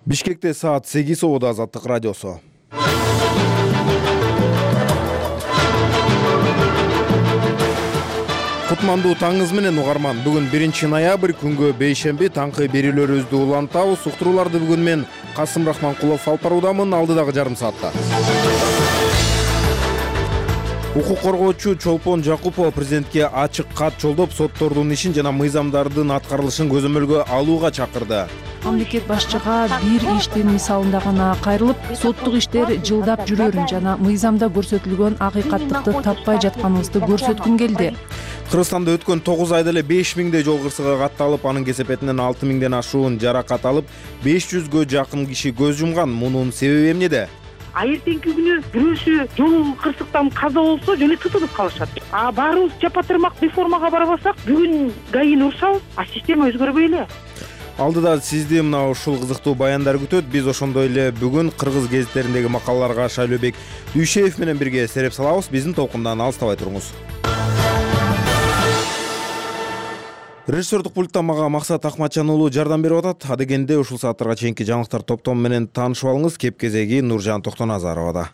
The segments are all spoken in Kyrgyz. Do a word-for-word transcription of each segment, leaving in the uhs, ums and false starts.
Бишкекте саат сегиз обода Азаттык радиосу. Кутмандуу таңыңыз менен угарман. Бүгүн биринчи ноябрь күнгө бейшемби таңкы берүүлөрүбүздү улантабыз. Уктурууларды бүгүн мен Касым Рахманкулов алып баруудамын. Алдыдагы жарым саатта. Укук коргоочу Чолпон Жакупова президентке ачык кат жолдоп, соттордун ишин жана мыйзамдардын аткарылышын көзөмөлгө алууга чакырды. Мамлекет башчыга бир иштин мисалында гана кайрылып, соттук иштер жылдап жүрөрүн жана мыйзамда көрсөтүлгөн акыйкаттыкты таппай жатканыбызды көрсөткүм келди. Кыргызстанда өткөн тогуз айда эле беш миңдей жол кырсыгы катталып, анын кесепетинен алты миңден ашуун жаракат алып, беш жүзгө жакын киши көз жумган. Мунун себеби эмнеде? А эртеңки күнү бирөөсү жол кырсыктан каза болсо жөн эле тытылып калышат. А баарыбыз жапа-тырмак реформага барбасак, бүгүн гаини урушабыз, а система өзгөрбөй эле. Алдыда сизди мына ушул кызыктуу баяндар күтөт. Биз ошондой эле бүгүн кыргыз гезиттериндеги макалаларга Шайлообек Дүйшеев менен бирге сереп салабыз. Биздин толкундан алыстабай туруңуз. Режиссердук пульттан мага Максат Акматжан уулу жардам берип атат. Адегенде ушул сааттарга чейинки жаңылыктар топтому менен таанышып алыңыз. Кеп кезеги Нуржан Токтоназаровада.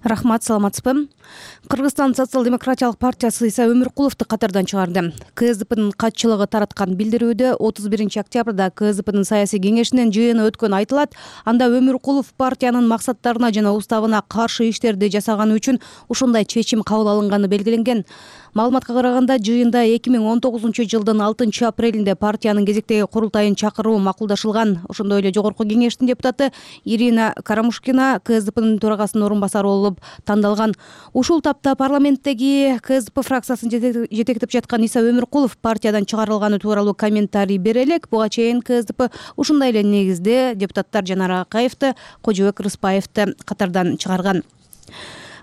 Рахмат, саламатсызбы? Кыргызстан социал-демократиялык партиясы Иса Өмүркуловду катардан чыгарды. КСДПнын катчылыгы тараткан билдирүүдө отуз биринчи октябрда КСДПнын саясий кеңешинин жыйыны өткөнү айтылат. Анда Өмүркулов партиянын максаттарына жана уставына каршы иштерди жасаганы үчүн ушундай чечим кабыл алынганы белгиленген. Маалыматка караганда, жыйында эки миң он тогузунчу жылдын алтынчы апрелинде партиянын кезектеги курултайын чакыруу макулдашылган. Ошондой эле жогорку кеңештин депутаты Ирина Карамушкина КСДПнын төрагасынын орун басары болуп тандалган. Ушул тапта парламенттеги КСДП фракциясын жетектеп жаткан Иса Өмүркулов партиядан чыгарылганы тууралуу комментарий бере элек. Буга чейин КСДП ушундай эле негизде депутаттар Жанар Акаевди, Кожобек Рыспаевди катардан чыгарган.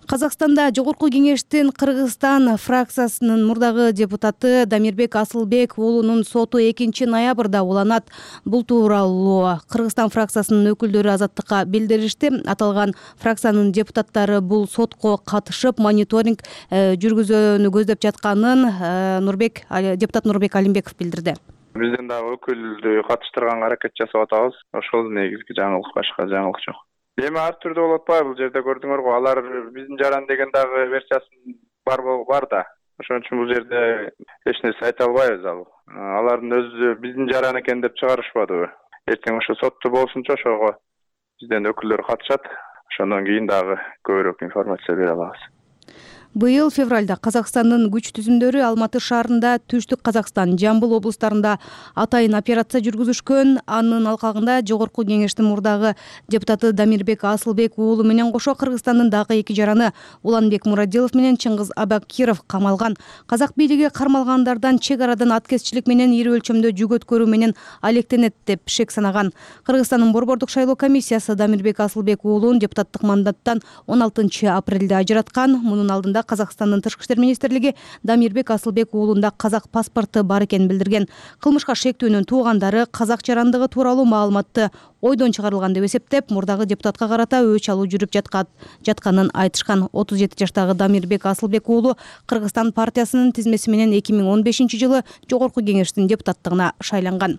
Казакстанда жогорку кеңештин Кыргызстан фракциясынын мурдагы депутаты Дамирбек Асылбек уулунун соту экинчи ноябрда уланат. Бул тууралуу Кыргызстан фракциясынын өкүлдөрү Азаттыкка билдиришти. Аталган фракциянын депутаттары бул сотко катышып, мониторинг жүргүзүүнү көздөп жатканын Нурбек депутат Нурбек Алимбеков билдирди. Биздин дагы өкүлдү катыштырганга аракет жасап атабыз. Ошол негизги жаңылык, башка жаңылык жок. Эми ар түрдүү болот атпайбы? Бул жерде көрдүңөр го, алар биздин жаран деген дагы версиясы бар бар да. Ошон үчүн бул жерде эч нерсе айта албайбыз ал. Алардын өзү биздин жаран экен деп чыгарышпадыбы? Эртең ошо сотто болсунчу ошого бизден өкүлдөр катышат. Ошондон кийин дагы көбүрөөк информация бере алабыз. Быйыл февралда Казакстандын күч түзүмдөрү Алматы шаарында, Түштүк Казакстан, Жамбыл облустарында атайын операция жүргүзүшкөн. Анын алкагында жогорку кеңештин мурдагы депутаты Дамирбек Асылбек уулу менен кошо Кыргызстандын дагы эки жараны Уланбек Мурадилов менен Чыңгыз Абакиров камалган. Казак бийлиги кармалгандардан чек арадан аткезчилик менен ири өлчөмдө жүк өткөрүү менен алектенет деп шек санаган. Кыргызстандын борбордук шайлоо комиссиясы Дамирбек Асылбек уулун депутаттык мандаттан он алтынчы апрелде ажыраткан. Мунун алдында Казакстандын тышкы иштер министрлиги Дамирбек Асылбек уулунда казак паспорту бар экенин билдирген. Кылмышка шектүүнүн туугандары казак жарандыгы тууралуу маалыматты ойдон чыгарылган деп эсептеп, мурдагы депутатка карата өч алуу жүрүп жатканын айтышкан. отуз жети жаштагы Дамирбек Асылбек уулу Кыргызстан партиясынын тизмеси менен эки миң он бешинчи жылы жогорку кеңештин депутаттыгына шайланган.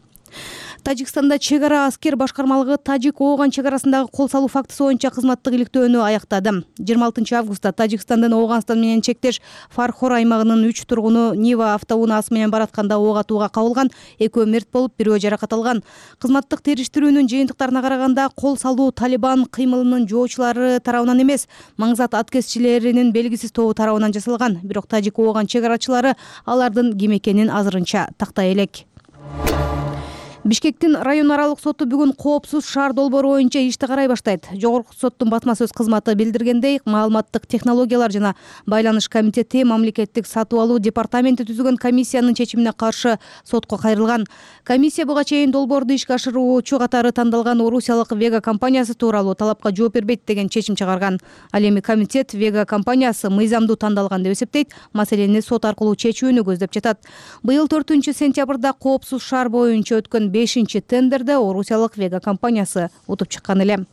Тажикстанда чек ара аскер башкармалыгы Тажик-Ооган чек арасындагы кол салуу фактысы боюнча кызматтык иликтөөнү аяктады. жыйырма алтынчы августта Тажикстандын Ооганстан менен чектеш Фархор аймагынын үч тургуну Нива автоунаасы менен баратканда ок атууга кабылган. Экөө мерт болуп, бирөө жаракат алган. Кызматтык териштирүүнүн жыйынтыктарына караганда, кол салуу Талибан кыймылынын жоочулары тарабынан эмес, маңзат аткезчилеринин белгисиз тобу тарабынан жасалган. Бирок Тажик-Ооган чек арачылары алардын ким экенин азырынча тактай элек. Бишкектин район аралык соту бүгүн коопсуз шаар долбоору боюнча ишти карай баштайт. Жогорку соттун басма сөз кызматы билдиргендей, маалыматтык технологиялар жана байланыш комитети мамлекеттик сатып алуу департаменти түзүлгөн комиссиянын чечимине каршы сотко кайрылган. Комиссия буга чейин долбоорду ишке ашыруучу катары тандалган Орусиялык Вега компаниясы тууралуу талапка жооп бербейт деген чечим чыгарган. Ал эми комитет Вега компаниясы мыйзамдуу тандалган деп эсептейт, маселени сот аркылуу чечүүнү көздөп жатат. Быйыл төртүнчү сентябрда коопсуз шаар боюнча өткөн бешинчи тендерде Орусиялык Вега компаниясы утуп чыккан эле.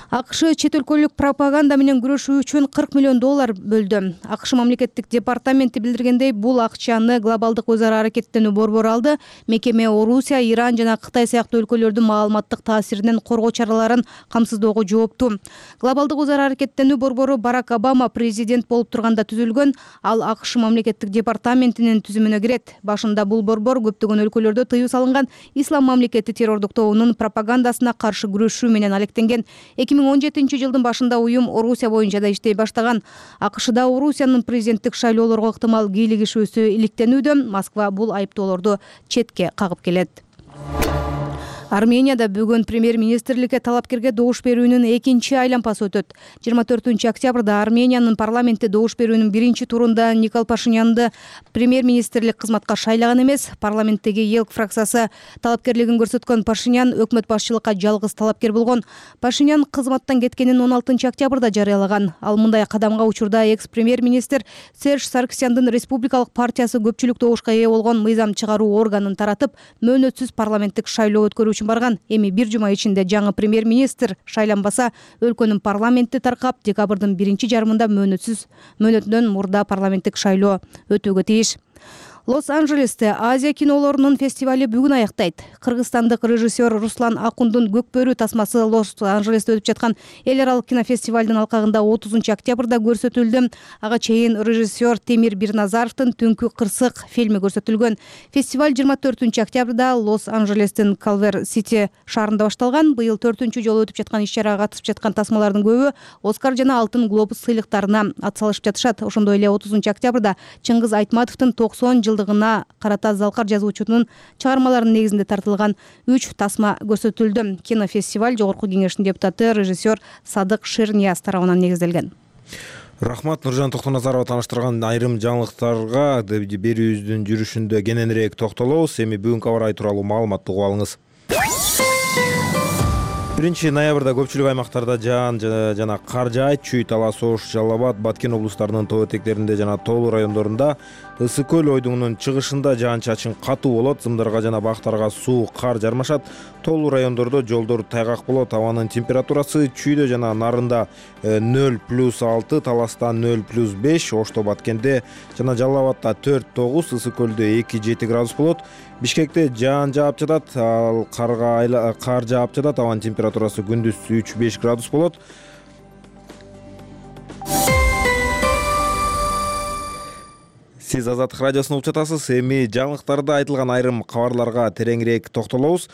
АКШ чет өлкөлүк пропаганда менен күрөшүү үчүн кырк миллион доллар бөлдү. АКШ мамлекеттик департаменти билдиргендей, бул акчаны глобалдык өз ара аракеттенүү борбору алды. Мекеме Орусия, Иран жана Кытай сыяктуу өлкөлөрдүн маалыматтык таасиринен коргоо чараларын камсыздоого жооптуу. Глобалдык өз ара аракеттенүү борбору Барак Обама президент болуп турганда түзүлгөн. Ал АКШ мамлекеттик департаментинин түзүмүнө кирет. Башында бул борбор көптөгөн өлкөлөрдө тыюу салынган ислам мамлекети террордук тобунун пропагандасына каршы күрөшүү менен алектенген. эки миң он жетинчи жылдын башында уюм Орусия боюнча да иштей баштаган. АКШда Орусиянын президенттик шайлоолорго ыктымал кийлигишүүсү иликтенүүдө. Москва бул айыптоолорду четке кагып келет. Арменияда бүгүн премьер-министрликке талапкерге добуш берүүнүн экинчи айлампасы өтөт. жыйырма төртүнчү октябрда Армениянын парламенти добуш берүүнүн биринчи турунда Никол Пашинянды премьер-министрлик кызматка шайлаган эмес. Парламенттеги ЕЛК фракциясы талапкерлигин көрсөткөн Пашинян өкмөт башчылыкка жалгыз талапкер болгон. Пашинян кызматтан кеткенин он алтынчы октябрда жарыялаган. Ал мындай кадамга учурда экс-премьер-министр Серж Саркисяндын республикалык партиясы көпчүлүк добушка ээ болгон мыйзам чыгаруу органын таратып, мөөнөтсүз парламенттик шайлоо өткөрүү барган. Эми бир жума ичинде жаңы премьер-министр шайланбаса, өлкөнүн парламенти таркап, декабрдын биринчи жарымында мөөнөтсүз мөөнөтүнөн мурда парламенттик шайлоо өтүүгө тийиш. Лос-Анджелесте Азия кинолорунун фестивали бүгүн аяктайт. Кыргызстандык режиссер Руслан Акундун Көкбөрү тасмасы Лос-Анджелесте өтүп жаткан эл аралык кинофестивалдын алкагында отузунчу октябрда көрсөтүлдү. Ага чейин режиссер Темир Бирназаровдун Түнкү кырсык фильми көрсөтүлгөн. Фестиваль жыйырма төртүнчү октябрда Лос-Анджелестин Калвер-Сити шаарында башталган. Быйыл төртүнчү жолу өтүп жаткан иш-чарага катышып жаткан тасмалардын көбү Оскар жана Алтын глобус сыйлыктарына атсалышып жатышат. Ошондой эле отузунчу октябрда Чыңгыз Айтматовдун токсон жылдыгына карата Залкар жазуучунун чыгармаларынын негизинде тартылган үч тасма көрсөтүлдү. Кинофестиваль Жогорку кеңештин депутаты режиссер Садык Шернияз тарабынан негизделген. Рахмат, Нуржан Токтоназарова таныштырган айрым жаңылыктарга берүүбүздүн жүрүшүндө кененирээк токтолобуз. Эми бүгүнкү аба ырайы тууралуу маалыматты угуп алыңыз. биринчи ноябрда көпчүлүк аймактарда жаан жана кар жаайт. Чүй, Талас, Ош, Жалал Абад, Баткен облустарынын тоо этектеринде жана тоолуу райондорунда, Ысык көл ойдуңунун чыгышында жаан-чачын катуу болот. Зымдарга жана бактарга суу, кар жармашат. Тоолуу райондордо жолдор тайгак болот. Абанын температурасы Чүйдө жана Нарында нөл плюс алты, Таласта нөл плюс беш, Ошто, Баткенде жана Жалал Абадда төрт тогуз, Ысык көлдө эки жети градус болот. Бишкекте жаан жаап жатат, ал карга кар жаап жатат. Абанын температурасы күндүз үч беш градус болот. Сиз Азаттык радиосун угуп жатасыз. Эми жаңылыктарда айтылган айрым кабарларга тереңирээк токтолобуз.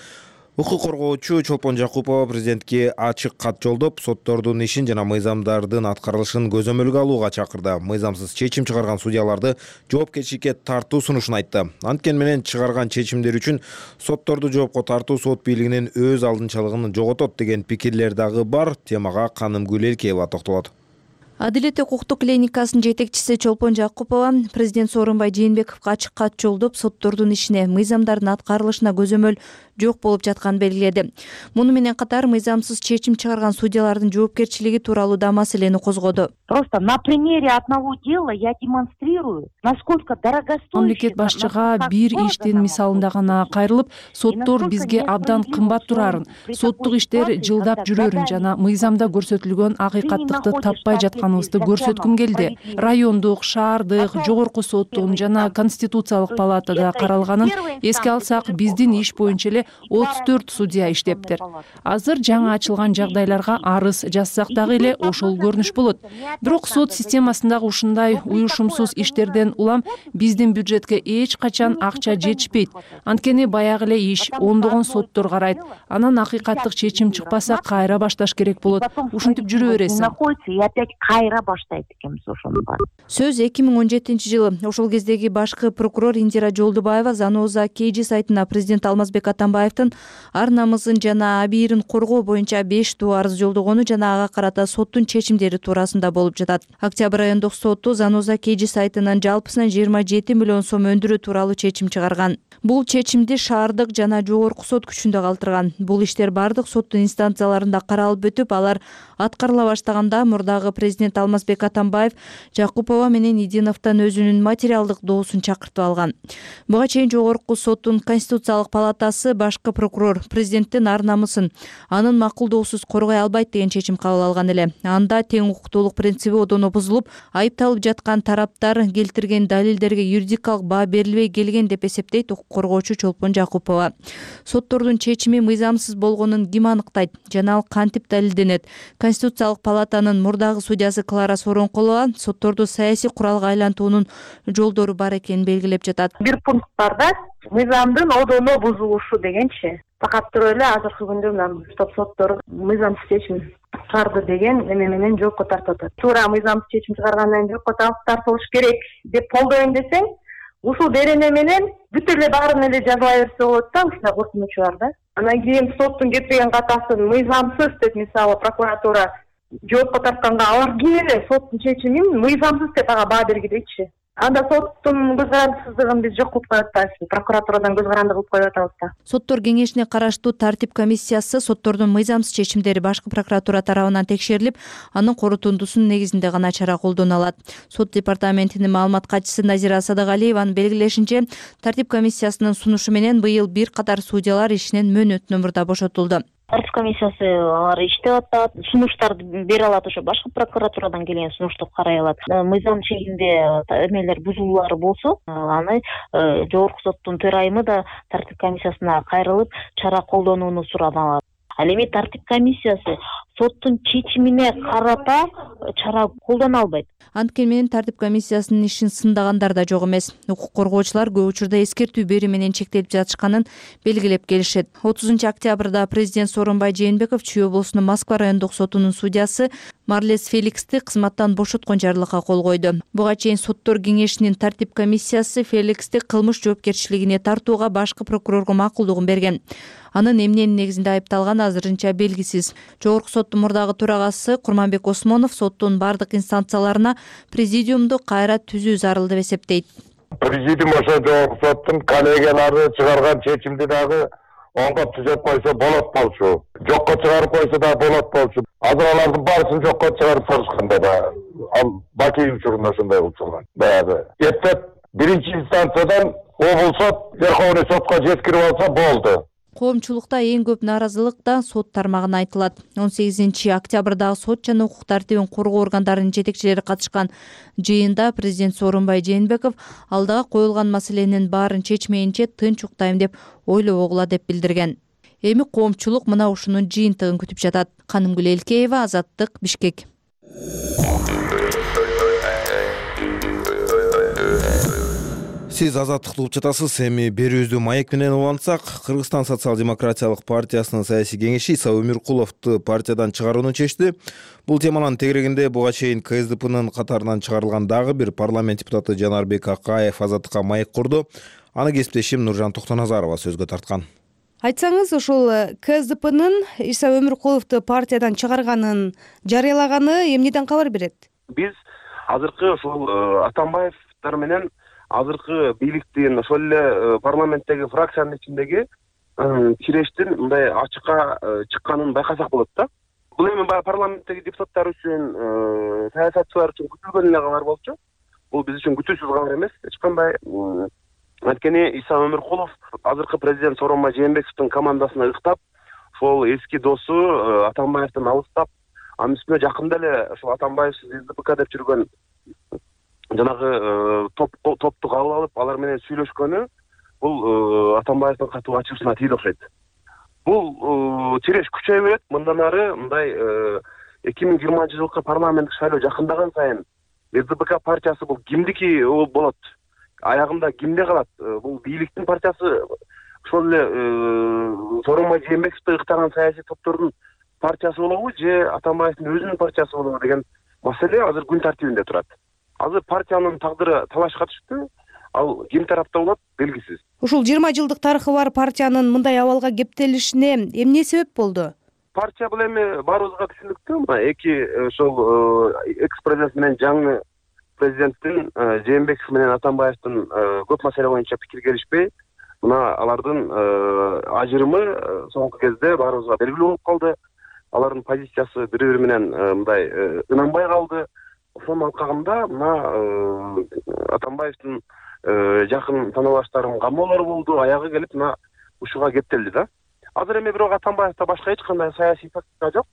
Укук коргоочу Чолпон Жакупова президентке ачык кат жолдоп, соттордун ишин жана мыйзамдардын аткарылышын көзөмөлгө алууга чакырды. Мыйзамсыз чечим чыгарган судьяларды жоопкерчиликке тартуу сунушун айтты. Анткени менен чыгарган чечимдер үчүн сотторду жоопко тартуу сот бийлигинин өз алдынчалыгын жоготот деген пикирлер дагы бар. Темага Канымгүл Элкеева токтолот. Адилет укуктук клиникасынын жетекчиси Чолпон Жакупова президент Сооронбай Жээнбековго ачык кат жолдоп, соттордун ишине, мыйзамдардын аткарылышына көзөмөл жок болуп жатканын белгиледи. Муну менен катар мыйзамсыз чечим чыгарган судьялардын жоопкерчилиги тууралуу да маселени козгоду. Просто на примере одного дела я демонстрирую, насколько дорогостоящий. Мамлекет башчыга бир иштин мисалында гана кайрылып, соттор бизге абдан кымбат турарын, соттук иштер жылдап жүрөрүн жана мыйзамда көрсөтүлгөн акыйкаттыкты таппай жатканыбызды көрсөткүм келди. Райондук, шаардык, жогорку соттун жана Конституциялык палатада каралганын эске алсак, биздин иш боюнча эле отуз төрт судья иштептир. Азыр жаңы ачылган жагдайларга арыз жазсак дагы эле ошол көрүнүш болот. Бирок сот системасындагы ушундай уюшумсуз иштерден улам биздин бюджетке эч качан акча жетишпейт. Анткени баягы эле иш ондогон соттор карайт. Анан акыйкаттык чечим чыкпаса, кайра башташ керек болот. Ушинтип жүрө бересиң. Находится и опять кайра баштайт экенбиз ошону бар. Сөз эки миң он жетинчи жылы. Ошол кездеги башкы прокурор Индира Жолдубаева Заноза Кейжи сайтына президент Алмазбек Атамбаевдин ар намысын жана абийирин коргоо боюнча беш туу арыз жолдогону жана ага карата соттун чечимдери туурасында болуп жатат. Октябрь айындык соту Заноза Кейжи сайтынын жалпысынан жыйырма жети миллион сом өндүрүү тууралуу чечим чыгарган. Бул чечимди шаардык жана жогорку сот күчүндө калтырган. Бул иштер бардык соттун инстанцияларында каралып өтүп, алар аткарыла баштаганда мурдагы президент президент Алмазбек Атамбаев Жакупова менен Идиновдон өзүнүн материалдык доосун чакыртып алган. Буга чейин Жогорку соттун Конституциялык палатасы башкы прокурор президенттин ар намысын анын макулдоосуз коргой албайт деген чечим кабыл алган эле. Анда тең укуктуулук принциби одоно бузулуп, айыпталып жаткан тараптар келтирген далилдерге юридикалык баа берилбей келген деп эсептейт укук коргоочу Чолпон Жакупова. Соттордун чечими мыйзамсыз болгонун ким аныктайт жана ал кантип далилденет? Конституциялык палатанын мурдагы судьясы Клара Соронкулова сотторду саясий куралга айлантуунун жолдору бар экенин белгилеп жатат. Бир пункт барда мыйзамдын одоно бузулушу дегенчи факат туруп эле азыркы күндө мына стоп соттор мыйзамсыз чечим чыгарды деген эме менен жоопко тартып атат. Туура мыйзамсыз чечим чыгаргандан жоопко тартылыш керек деп колдойм десең, ушул берене менен бүт эле баарын эле жазыла берсе болот да, ушундай коркунучу бар да. Анан кийин соттун кетпеген катасын мыйзамсыз деп мисалы прокуратура жоопко тартканга алар ким эле соттун чечимин мыйзамсыз деп ага баа бергилейчи. Анда соттун көз карандысыздыгын биз жок кылып коюп атпайбызбы, прокуратурадан көз каранды кылып коюп атабыз да. Соттор кеңешине караштуу тартип комиссиясы соттордун мыйзамсыз чечимдери башкы прокуратура тарабынан текшерилип, анын корутундусунун негизинде гана чара колдоно алат. Сот департаментинин маалымат катчысы Назира Садыгалиеванын белгилешинче, тартип комиссиясынын сунушу менен быйыл бир катар судьялар ишинен мөөнөттүн мурда бошотулду. Тартип комиссиясы алар иштеп атат, сунуштарды бере алат, ошо башкы прокуратурадан келген сунушту карай алат. Мыйзам чегинде эмелер бузулуулар болсо, аны Жогорку соттун төрайымы да тартип комиссиясына кайрылып, чара колдонууну сурап. Ал эми тартип комиссиясы соттун чечимине карата чара колдоно албайт. Анткени менен тартип комиссиясынын ишин сындагандар да жок эмес. Укук коргоочулар көп учурда эскертүү берүү менен чектелип жатышканын белгилеп келишет. отузунчу октябрда президент Сооронбай Жээнбеков Чүй облусунун Москва райондук сотунун судьясы Марлес Феликсти кызматтан бошоткон жарлыкка кол койду. Буга чейин соттор кеңешинин тартип комиссиясы Феликсти кылмыш жоопкерчилигине тартууга башкы прокурорго макулдугун берген. Анын эмненин негизинде айыпталганы азырынча белгисиз. Жогорку соттун мурдагы төрагасы Курманбек Осмонов соттун бардык инстанцияларына президиумду кайра түзүү зарыл деп эсептейт. Президиум ошо Жогорку соттун коллегиялары чыгарган чечимди дагы онго түзөп койсо болот болчу. Жокко чыгарып койсо да болот болчу. Азыр алардын баарысын жокко чыгарып салышканда да ал Баки учурунда ошондой болуп чыккан. Баягы эптеп биринчи инстанциядан облус сот Верховный сотко жеткирип алса болду. Коомчулукта эң көп нааразылык да сот тармагына айтылат. он сегизинчи октябрдагы сот жана укук тартибин коргоо органдарынын жетекчилери катышкан жыйында президент Сооронбай Жээнбеков алдыга коюлган маселенин баарын чечмейинче тынч уктайм деп ойлобогула деп билдирген. Эми коомчулук мына ушунун жыйынтыгын күтүп жатат. Канымгүл Элкеева, Азаттык, Бишкек. Сиз азаттыкты угуп жатасыз. Эми берүүбүздү маек менен улантсак, Кыргызстан социал-демократиялык партиясынын саясий кеңеши Иса Өмүркуловду партиядан чыгарууну чечти. Бул теманын тегерегинде буга чейин КСДПнын катарынан чыгарылган дагы бир парламент депутаты Жанарбек Акаев азаттыкка маек курду. Аны кесиптешим Нуржан Токтоназарова сөзгө тарткан. Айтсаңыз, ошол КСДПнын Иса Өмүркуловду партиядан чыгарганын жарыялаганы эмнеден кабар берет? Биз азыркы ошол Атамбаевдер менен азыркы бийликтин ошол эле парламенттеги фракциянын ичиндеги кирештин мындай ачыкка чыкканын байкасак болот да. Бул эми баягы парламенттеги депутаттар үчүн, саясатчылар үчүн күтүлгөн эле кабар болчу. Бул биз үчүн күтүүсүз кабар эмес. Эч кандай. Анткени Иса Өмүркулов азыркы президент Сооронбай Жээнбековдун командасына ыктап, ошол эски досу Атамбаевден алыстап, анын үстүнө жакында эле ошол Атамбаевсиз СДПК деп жүргөн жанагы топту кабыл алып, алар менен сүйлөшкөнү бул Атамбаевдин катуу ачуусуна тийди окшойт. Бул тиреш күчөй берет. Мындан ары мындай эки миң жыйырманчы жылкы парламенттик шайлоо жакындаган сайын СДПК партиясы бул кимдики болот? Аягында кимде калат? Бул бийликтин партиясы, ошол эле Сооронбай Жээнбековду ыктаган саясий топтордун партиясы болобу же Атамбаевдин өзүнүн партиясы болобу деген маселе азыр күн тартибинде турат. Азыр партиянын тагдыры талашка түштү. Ал ким тарапта болот белгисиз. Ушул жыйырма жылдык тарыхы бар партиянын мындай абалга кептелишине эмне себеп болду? Партия бул эми баарыбызга түшүнүктүү. Мына эки ошол экс-президент менен жаңы президенттин Жээнбеков менен Атамбаевдин көп маселе боюнча пикир келишпей, мына алардын ажырымы соңку кезде баарыбызга белгилүү болуп калды. Алардын позициясы бири-бири менен мындай ынанбай калды. ошонун алкагында мына Атамбаевдин жакын тааныбаштарынын камоолору болду, аягы келип мына ушуга кептелди да. Азыр эми бирок Атамбаевда башка эч кандай саясий тактика жок,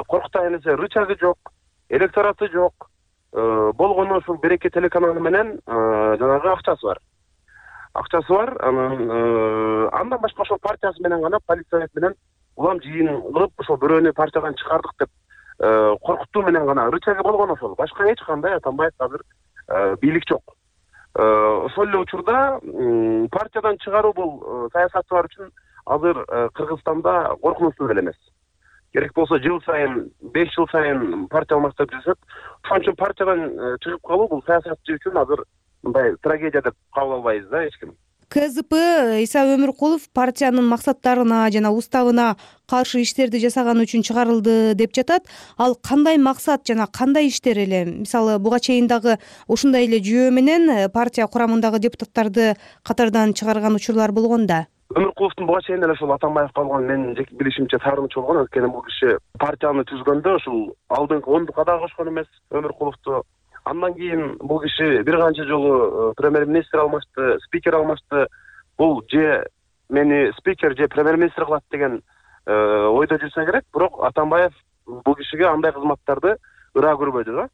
коркутайын десе рычагы жок, электораты жок, болгону ушул Береке телеканалы менен жанагы акчасы бар. Акчасы бар, анан андан башка ошол партиясы менен гана, полиция менен улам жыйын кылып ошол бирөөнү партиядан чыгардык деп коркутуу менен гана рычагы болгон ошол. Башка эч кандай Атамбаев азыр бийлик жок. Ошол эле учурда партиядан чыгаруу бул саясатчылар үчүн азыр Кыргызстанда коркунучтуу деле эмес. Керек болсо жыл сайын, беш жыл сайын партия алмаштырып жүрсөк, ошон үчүн партиядан чыгып калуу бул саясатчы үчүн азыр мындай трагедия деп кабыл албайбыз да эч ким. КЗП Иса Өмүркулов партиянын максаттарына жана уставына каршы иштерди жасаганы үчүн чыгарылды деп жатат. Ал кандай максат жана кандай иштер эле? Мисалы, буга чейин дагы ушундай эле жүйө менен партия курамындагы депутаттарды катардан чыгарган учурлар болгон да. Өмүркуловдун буга чейин эле ошол Атамбаевге болгон менин жеке билишимче таарынычы болгон. Анткени бул киши партияны түзгөндө ушул алдыңкы ондукка да кошкон эмес Өмүркуловду. Андан кийин бул киши бир канча жолу премьер-министр алмашты, спикер алмашты. Бул же мени спикер же премьер-министр кылат деген ойдо жүрсө керек, бирок Атамбаев бул кишиге андай кызматтарды ыраа көрбөдү да.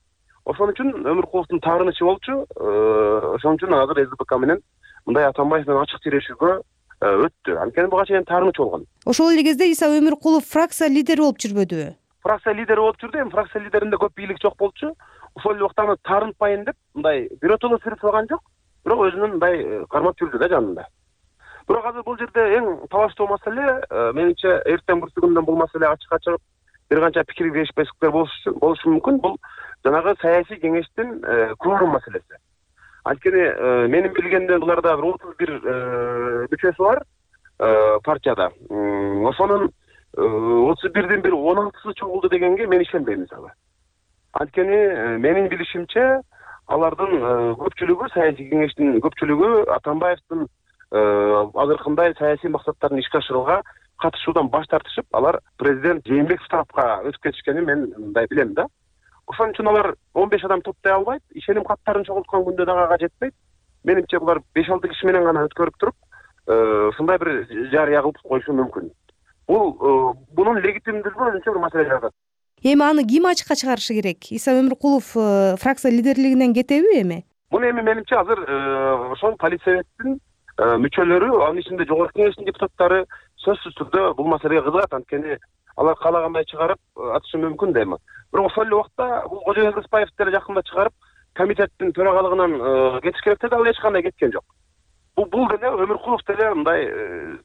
Ошон үчүн Өмүркуловдун таарынычы болчу. Ошон үчүн азыр СДПК менен мындай Атамбаев менен ачык тирешүүгө өттү. Анткени буга чейин таарынычы болгон. Ошол эле кезде Иса Өмүркулов фракция лидери болуп жүрбөдүбү? Фракция лидери болуп жүрдү. Эми фракция лидеринде көп бийлик жок болчу. Ошол эле убакта аны таарынтпайын деп мындай биротоло сүрүп салган жок, бирок өзүнүн мындай кармап жүрдү да жанында. Бирок азыр бул жерде эң талаштуу маселе, менимче эртең бүрсүгүндөн бул маселе ачыкка чыгып, бир канча пикир келишпестиктер болушу мүмкүн. Бул жанагы саясий кеңештин кворум маселеси. Анткени менин билгенден буларда бир отуз бир мүчөсү бар партияда. Ошонун отуз бирдин бир он алтысы чогулду дегенге мен ишенбейм мисалы. Анткени менин билишимче алардын көпчүлүгү, саясий кеңештин көпчүлүгү Атамбаевдин азыркындай саясий максаттарын ишке ашырууга катышуудан баш тартышып, алар президент Жээнбеков тарапка өтүп кетишкенин мен мындай билем да. Ошон үчүн алар он беш адам топтой албайт, ишеним каттарын чогулткан күндө дагы ага жетпейт. Менимче булар беш алты киши менен гана өткөрүп туруп, ушундай бир жарыя кылып коюшу мүмкүн. Бул бунун легитимдүүлүгү өзүнчө бир маселе жаратат. Эми аны ким ачыкка чыгарышы керек? Иса Өмүркулов фракция лидерлигинен кетеби эми? Муну эми менимче азыр ошол полицияттын мүчөлөрү, анын ичинде жогорку кеңештин депутаттары сөзсүз түрдө бул маселеге кызыгат. Анткени алар каалагандай чыгарып атышы мүмкүн да эми. Бирок ошол эле убакта бул Кожоюл Рыспаев деле жакында чыгарып комитеттин төрагалыгынан кетиш керек деди, ал эч кандай кеткен жок. Бул бул деле Өмүркулов деле мындай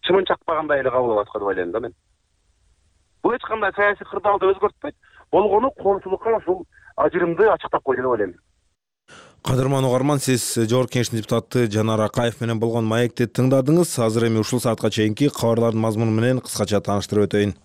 чымын чакпагандай эле кабыл алат деп ойлойм да мен. Бул эч кандай саясий кырдаалды өзгөртпөйт. Болгону коомчулукка ушул ажырымды ачыктап койду деп ойлойм. Кадырман угарман, сиз жогорку кеңештин депутаты Жанар Акаев менен болгон маекти тыңдадыңыз. Азыр эми ушул саатка чейинки кабарлардын мазмуну менен кыскача тааныштырып өтөйүн.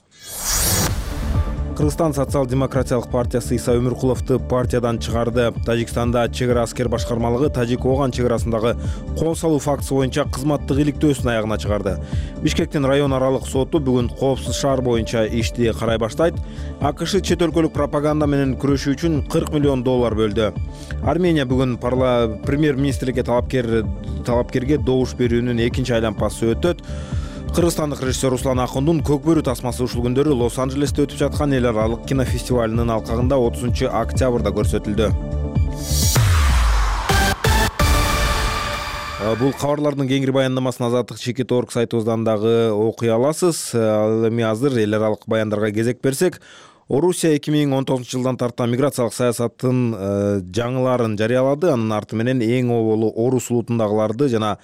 Кыргызстан социал-демократиялык партиясы Иса Өмүркуловду партиядан чыгарды. Тажикстанда чек ара аскер башкармалыгы Тажик-Оган чек арасындагы кол салуу фактысы боюнча кызматтык иликтөөсүн аягына чыгарды. Бишкектин район аралык соту бүгүн коопсуз шаар боюнча ишти карай баштайт. АКШ чет өлкөлүк пропаганда менен күрөшүү үчүн кырк миллион доллар бөлдү. Армения бүгүн премьер-министрликке талапкер талапкерге добуш берүүнүн экинчи айланпасы өтөт. Кыргызстандык режиссер Руслан Акундун Көк бөрү тасмасы ушул күндөрү Лос-Анджелесте өтүп жаткан эл аралык кинофестивалынын алкагында отузунчу октябрда көрсөтүлдү. Бул кабарлардын кеңири баяндамасын Азаттык чекит точка орг сайтыбыздан дагы окуй аласыз. Ал эми азыр эл аралык баяндарга кезек берсек, Орусия эки миң он тогузунчу жылдан тарткан миграциялык саясаттын жаңыларын жарыялады. Анын арты менен эң оболу орус улутундагыларды жана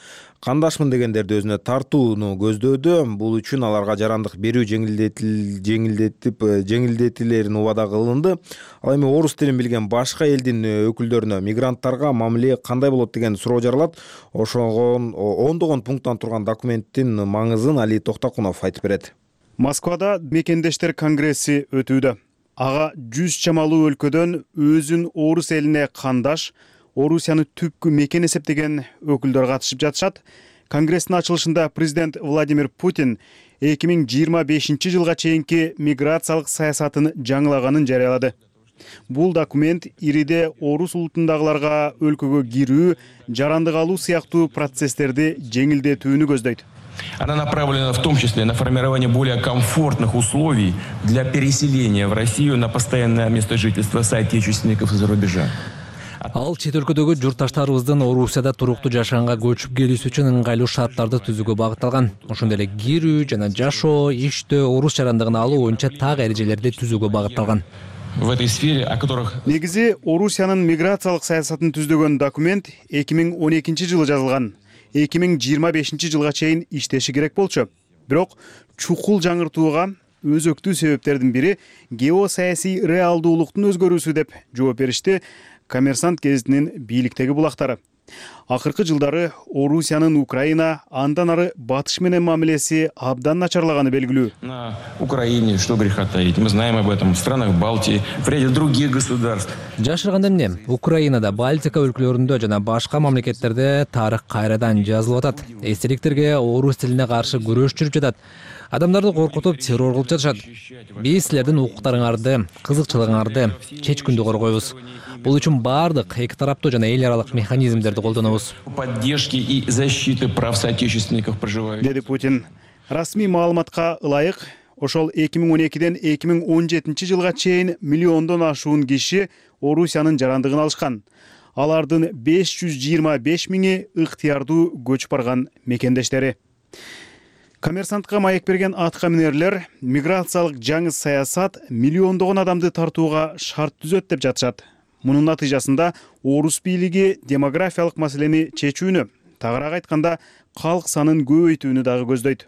кандашмын дегендерди өзүнө тартууну көздөөдү. Бул үчүн аларга жарандык берүү жеңилдетип жеңилдетилерин убада кылынды. Ал эми орус тилин билген башка элдин өкүлдөрүнө мигранттарга мамиле кандай болот деген суроо жаралат. Ошондон ондогон пункттан турган документтин маңызын Али Токтокунов айтып берет. Москвада мекендештер конгресси өтүүдө. Ага жүз чамалуу өлкөдөн өзүн орус элине кандаш, Орусияны түпкү мекен эсептеген өкүлдөр катышып жатышат. Конгресстин ачылышында президент Владимир Путин эки миң жыйырма бешинчи жылга чейинки миграциялык саясатын жаңылаганын жарыялады. Бул документ ириде орус улутундагыларга өлкөгө кирүү, жарандык алуу сыяктуу процесстерди жеңилдетүүнү көздөйт. Она направлена в том числе на формирование более комфортных условий для переселения в Россию на постоянное место жительства соотечественников из-за рубежа. Ал чет өлкөдөгү журтташтарыбыздын Орусияда туруктуу жашаганга көчүп келүүсү үчүн ыңгайлуу шарттарды түзүүгө багытталган. Ошондой эле кирүү жана жашоо, иштөө, орус жарандыгын алуу боюнча так эрежелерди түзүүгө багытталган. В этой сфере, о которых... Негизи Орусиянын миграциялык саясатын түздөгөн документ эки миң он экинчи жылы жазылган. эки миң жыйырма бешинчи жылга чейин иштеши керек болчу. Бирок чукул жаңыртууга өзөктүү себептердин бири геосаясий реалдуулуктун өзгөрүүсү деп жооп беришти Коммерсант гезитинин бийликтеги булактары. Акыркы жылдары Орусиянын Украина, андан ары батыш менен мамилеси абдан начарлаганы белгилүү. На Украине, что греха таить, мы знаем об этом в странах Балтии, в ряде других государств. Жашырганда эмне? Украинада, Балтика өлкөлөрүндө жана башка мамлекеттерде тарых кайрадан жазылып атат. Эстеликтерге орус тилине каршы күрөш жүрүп жатат. Адамдарды коркутуп, террор кылып жатышат. Биз силердин укуктарыңарды, кызыкчылыгыңарды чечкүндү коргойбуз. Бул үчүн бардык эки тараптуу жана эл аралык механизмдерди колдонобуз. Поддержки и защиты прав соотечественников проживающих. Деди Путин. Расмий маалыматка ылайык, ошол эки миң он экиден эки миң он жетинчи жылга чейин миллиондон ашуун киши Орусиянын жарандыгын алышкан. Алардын беш жүз жыйырма беш миңи ыктыярдуу көчүп барган мекендештери. Коммерсантка маек берген атка минерлер миграциялык жаңы саясат миллиондогон адамды тартууга шарт түзөт деп жатышат. Мунун натыйжасында орус бийлиги демографиялык маселени чечүүнү, тагыраак айтканда калк санын көбөйтүүнү дагы көздөйт.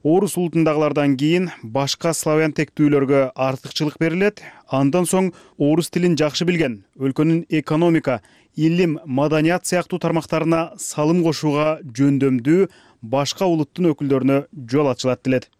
Орус улутундагылардан кийин башка славян тектүүлөргө артыкчылык берилет, андан соң орус тилин жакшы билген, өлкөнүн экономика, илим, маданият сыяктуу тармактарына салым кошууга жөндөмдүү башка улуттун өкүлдөрүнө жол ачылат делет.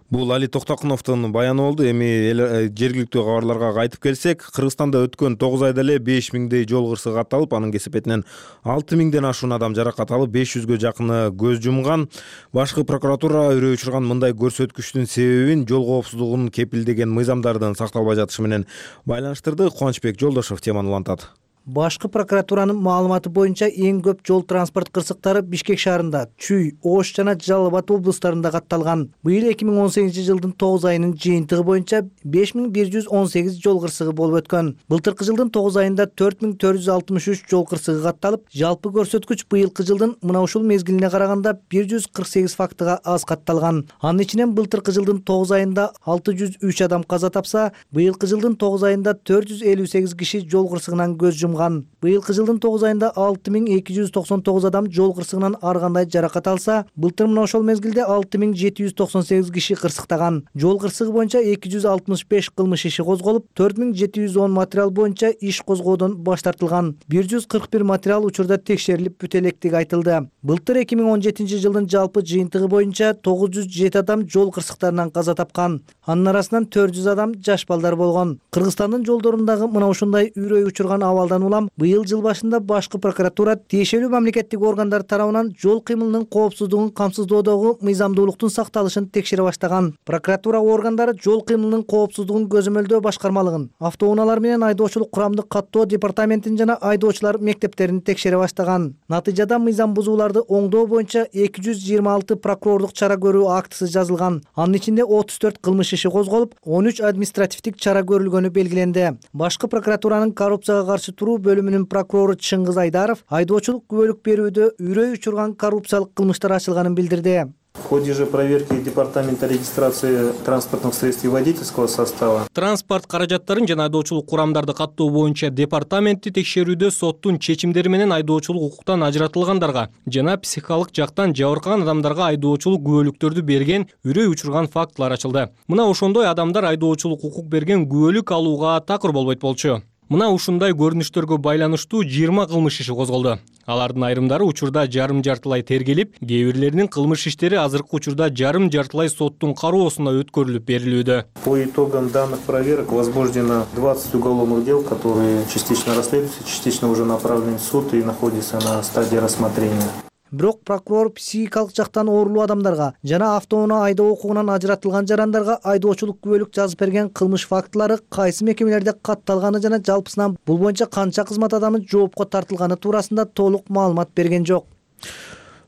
Бул Али Токтокуновдун баяны болду. Эми жергиликтүү кабарларга кайтып келсек, Кыргызстанда өткөн тогуз айда эле беш миңдей жол кырсыгы катталып, анын кесепетинен алты миңден ашуун адам жаракат алып, беш жүзгө жакыны көз жумган. Башкы прокуратура өрөө учурган мындай көрсөткүчтүн себебин жол коопсуздугун кепилдеген мыйзамдардын сакталбай жатышы менен байланыштырды. Кубанычбек Жолдошов теманы улантат. Башкы прокуратуранын маалыматы боюнча эң көп жол транспорт кырсыктары Бишкек шаарында, Чүй, Ош жана Жалал Абад облустарында катталган. Быйыл эки миң он сегизинчи жылдын тогуз айынын жыйынтыгы боюнча беш миң бир жүз он сегиз жол кырсыгы болуп өткөн. Былтыркы жылдын тогуз айында төрт миң төрт жүз алтымыш үч жол кырсыгы катталып, жалпы көрсөткүч быйылкы жылдын мына ушул мезгилине караганда бир жүз кырк сегиз фактыга аз катталган. Анын ичинен былтыркы жылдын тогуз айында алты жүз үч адам каза тапса, быйылкы жылдын тогуз айында төрт жүз элүү сегиз киши жол кырсыгынан көз жумган. Быйылкы жылдын тогуз айында алты миң эки жүз токсон тогуз адам жол кырсыгынан ар кандай жаракат алса, былтыр мына ошол мезгилде алты миң жети жүз токсон сегиз киши кырсыктаган. Жол кырсыгы боюнча эки жүз алтымыш беш кылмыш иши козголуп, төрт миң жети жүз он материал боюнча иш козгоодон баш тартылган. бир жүз кырк бир материал учурда текшерилип бүтө электиги айтылды. Былтыр эки миң он жетинчи жылдын жалпы жыйынтыгы боюнча тогуз жүз жети адам жол кырсыктарынан каза тапкан. Анын арасынан төрт жүз адам жаш балдар болгон. Кыргызстандын жолдорундагы мына ушундай үрөй учурган абалдан улам быйыл жыл башында башкы прокуратура тиешелүү мамлекеттик органдар тарабынан жол кыймылынын коопсуздугун камсыздоодогу мыйзамдуулуктун сакталышын текшере баштаган. Прокуратура органдары жол кыймылынын коопсуздугун көзөмөлдөө башкармалыгын, автоунаалар менен айдоочулук курамдык каттоо департаментин жана айдоочулар мектептерин текшере баштаган. Натыйжада мыйзам бузууларды оңдоо боюнча эки жүз жыйырма алты прокурорлук чара көрүү актысы жазылган. Анын ичинде отуз төрт кылмыш иши козголуп, он үч административдик чара көрүлгөнү белгиленди. Башкы прокуратуранын коррупцияга каршы туруу бөлүмүнүн прокурору Чыңгыз Айдаров айдоочулук күбөлүк берүүдө үрөй учурган коррупциялык кылмыштар ачылганын билдирди. В ходе же проверки Департамента регистрации транспортных средств и водительского состава. Транспорт каражаттарын жана айдоочулук курамдарды каттоо боюнча департаменти текшерүүдө соттун чечимдери менен айдоочулук укуктан ажыратылгандарга жана психикалык жактан жабыркаган адамдарга айдоочулук күбөлүктөрдү берген үрөй учурган фактылар ачылды. Мына ошондой адамдар айдоочулук укук берген күбөлүк алууга такыр болбойт болчу. Мына ушундай көрүнүштөргө байланыштуу жыйырма кылмыш иши козголду. Алардын айрымдары учурда жарым жартылай тергелип, кээ бирлеринин кылмыш иштери азыркы учурда жарым жартылай соттун кароосуна өткөрүлүп берилүүдө. По итогам данных проверок возбуждено двадцать уголовных дел, которые частично расследуются, частично уже направлены в суд и находятся на стадии рассмотрения. бирок прокурор психикалык жактан оорулуу адамдарга жана автоунаа айдоо укугунан ажыратылган жарандарга айдоочулук күбөлүк жазып берген кылмыш фактылары кайсы мекемелерде катталганы жана жалпысынан бул боюнча канча кызмат адамы жоопко тартылганы туурасында толук маалымат берген жок.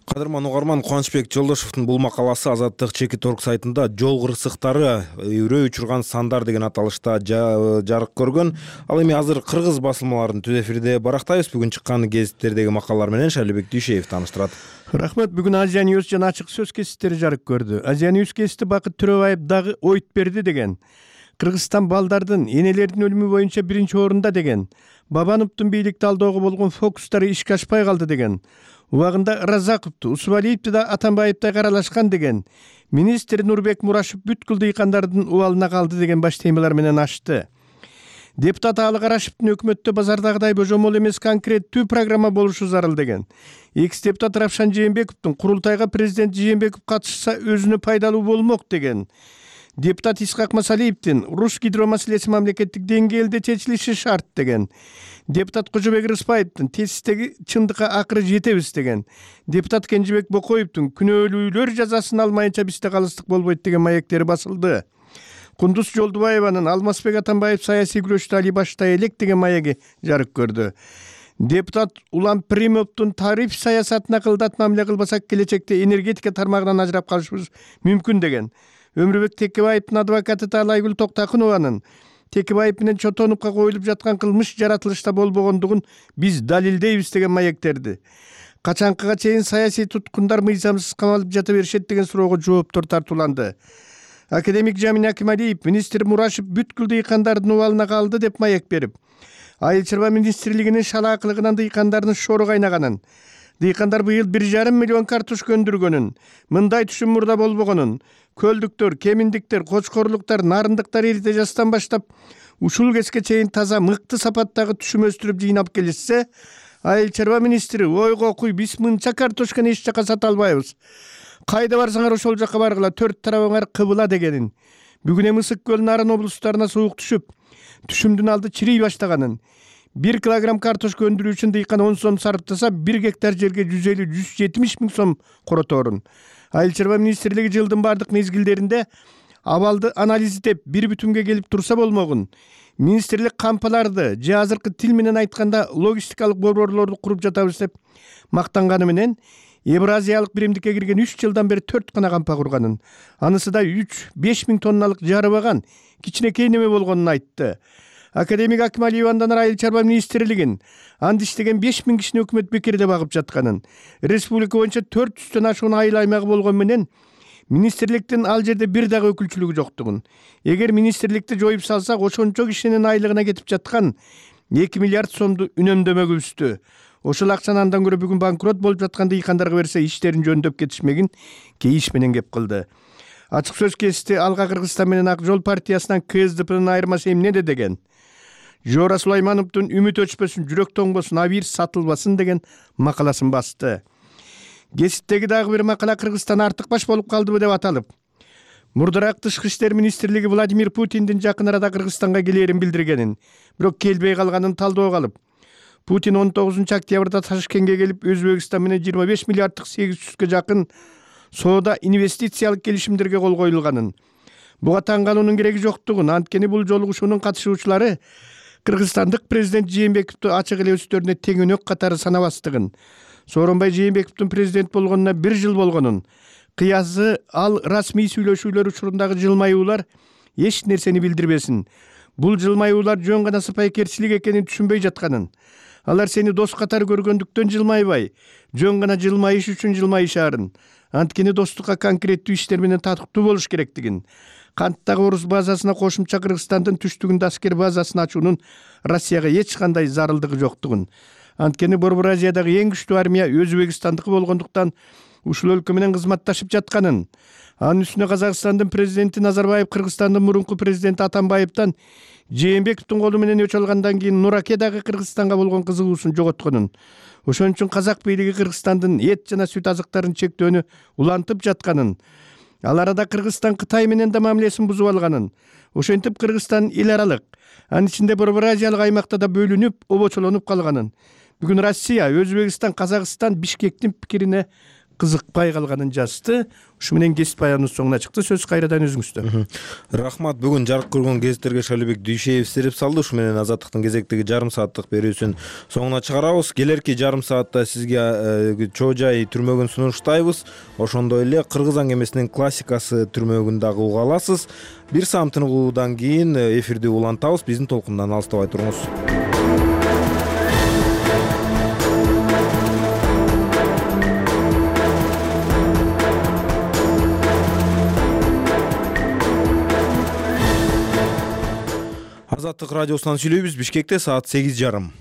Кадырман угарман, Кубанычбек Жолдошовдун бул макаласы Азаттык Чекит орг сайтында жол кырсыктары үрөө учурган сандар деген аталышта жарык көргөн. Ал эми азыр кыргыз басылмаларынын түз эфирде барактайбыз. Бүгүн чыккан гезиттердеги макалалар менен Шайлебек Дүйшеев тааныштырат. Рахмат. Бүгүн Азия Ньюс жана ачык сөз кесиптери жарык көрдү. Азия Ньюс кесипти Бакыт Төрөбаев дагы ойт берди деген. Кыргызстан балдардын, энелердин өлүмү боюнча биринчи орунда деген. Бабановдун бийликти алдоого болгон фокустары ишке ашпай калды деген. Убагында Разаковду, Усубалиевди да Атамбаевди каралашкан деген. Министр Нурбек Мурашев бүткүл дыйкандардын убалына калды деген баш темалар менен ачты. Депутат Алы Карашевдин өкмөттө базардагыдай божомол эмес конкреттүү программа болушу зарыл деген. Экс-депутат Равшан Жээнбековдун курултайга президент Жээнбеков катышса өзүнө пайдалуу болмок деген. Депутат Исхак Масалиевдин Руш гидро маселеси мамлекеттик деңгээлде чечилиши шарт деген. Депутат Кожобек Рыспаевдин тесттеги чындыкка акыры жетебиз деген. Депутат Кенжебек Бокоевдун күнөөлүүлөр жазасын алмайынча бизде калыстык болбойт деген маектери басылды. Кундуз Жолдубаеванын Алмазбек Атамбаев саясий күрөштү али баштай элек деген маеги жарык көрдү. Депутат Улам Примовдун тариф саясатына кылдат мамиле кылбасак келечекте энергетика тармагынан ажырап калышыбыз мүмкүн деген. Өмүрбек Текебаевдин адвокаты Таалайгүл Токтакунованын Текебаев менен Чотонупка коюлуп жаткан кылмыш жаратылышта болбогондугун биз далилдейбиз деген маектерди. Качанкыга чейин саясий туткундар мыйзамсыз камалып жата беришет деген суроого жооптор тартууланды. Академик Жамин Акималиев министр Мурашев бүткүл дыйкандардын убалына калды деп маек берип, Айыл чарба министрлигинин шалаакылыгынан дыйкандардын шору кайнаганын, дыйкандар быйыл бир жарым миллион картошка өндүргөнүн, мындай түшүм мурда болбогонун, көлдүктөр, кеминдиктер, кочкорлуктар, нарындыктар эрте жастан баштап ушул кезге чейин таза мыкты сапаттагы түшүм өстүрүп жыйнап келишсе, айыл чарба министри ойго куй биз мынча картошканы эч жака сата албайбыз. Кайда барсаңар ошол жака баргыла, төрт тарабыңар кыбыла дегенин. Бүгүн эми Ысык көл Нарын облустарына суук түшүп, түшүмдүн алды чирей баштаганын. бир килограмм картошка өндүрүү үчүн дыйкан он сом сарптаса, бир гектар жерге жүз элүү — жүз жетимиш миң сом короторун. Айыл чарба министрлиги жылдын бардык мезгилдеринде абалды анализдеп, бир бүтүнгө келип турса болмогун. Министрлик кампаларды же азыркы тил менен айтканда логистикалык борборлорду куруп жатабыз деп мактанганы менен Евразиялык биримдикке кирген үч жылдан бери төрт гана кампа курганын. Анысы да үч — беш миң тонналык жарыбаган кичинекей неме болгонун айтты. Академик Акималиев андан айыл чарба министрлигин анда иштеген беш миң кишини өкмөт бекерде багып жатканын, республика боюнча төрт жүздөн ашуун айыл аймагы болгон менен министрликтин ал жерде бир дагы өкүлчүлүгү жоктугун. Эгер министрликти жоюп салсак, ошончо кишинин айлыгына кетип жаткан эки миллиард сомду үнөмдөмөгүбүздү. Ошол акчаны андан көрө бүгүн банкрот болуп жаткан дыйкандарга берсе, иштерин жөндөп кетишмегин кейиш менен кеп кылды. Ачык сөз кести Алга Кыргызстан менен Ак жол партиясынан КСДПнын айырмасы эмнеде деген. Жора Сулаймановдун үмүт өчпөсүн, жүрөк тоңбосун, абийир сатылбасын деген макаласын басты. Гезиттеги дагы бир макала Кыргызстан артык баш болуп калдыбы деп аталып, мурдараак тышкы иштер министрлиги Владимир Путиндин жакын арада Кыргызстанга келээрин билдиргенин, бирок келбей калганын талдоого алып, Путин он тогузунчу октябрда Ташкентке келип, Өзбекстан менен жыйырма беш миллиарддык сегиз жүзгө жакын соода инвестициялык келишимдерге кол коюлганын, буга таң калуунун кереги жоктугун, анткени бул жолугушуунун катышуучулары кыргызстандык президент Жээнбековду ачык эле өздөрүнө теңөнөк катары санабастыгын, Сооронбай Жээнбековдун президент болгонуна бир жыл болгонун, кыязы ал расмий сүйлөшүүлөр учурундагы жылмаюулар эч нерсени билдирбесин, бул жылмаюулар жөн гана сыпайкерчилик экенин түшүнбөй жатканын, алар сени дос катары көргөндүктөн жылмайбай, жөн гана жылмайыш үчүн жылмайышаарын, анткени достукка конкреттүү иштер менен татыктуу болуш керектигин, канттагы орус базасына кошумча Кыргызстандын түштүгүндө аскер базасын ачуунун Россияга эч кандай зарылдыгы жоктугун, анткени Борбор Азиядагы эң күчтүү армия Өзбекстандыкы болгондуктан ушул өлкө менен кызматташып жатканын, анын үстүнө Казакстандын президенти Назарбаев Кыргызстандын мурунку президенти Атамбаевден Жээнбековдун колу менен өч алгандан кийин Нураке дагы Кыргызстанга болгон кызыгуусун жоготконун, ошон үчүн казак бийлиги Кыргызстандын эт жана сүт азыктарын чектөөнү улантып жатканын, ал арада Кыргызстан Кытай менен да мамилесин бузуп алганын, ошентип Кыргызстан эл аралык, анын ичинде Борбор Азиялык аймакта да бөлүнүп, обочолонуп калганын, бүгүн Россия, Өзбекстан, Казакстан Бишкектин пикирине кызыкпай калганын жазды. Ушу менен кесип баяныбыз соңуна чыкты. Сөз кайрадан өзүңүздө. Рахмат. Бүгүн жарык көргөн гезиттерге Шалибек Дүйшеев сирип салды. Ушу менен Азаттыктын кезектеги жарым сааттык берүүсүн соңуна чыгарабыз. Келерки жарым саатта сизге чоо жай түрмөгүн сунуштайбыз. Ошондой эле Кыргыз аңгемесинин классикасы түрмөгүн дагы уга аласыз. Бир саам тыныгуудан кийин эфирди улантабыз. Биздин толкундан алыстабай туруңуз. Азаттык радиосунан сүйлөйбүз. Бишкекте саат сегиз жарым.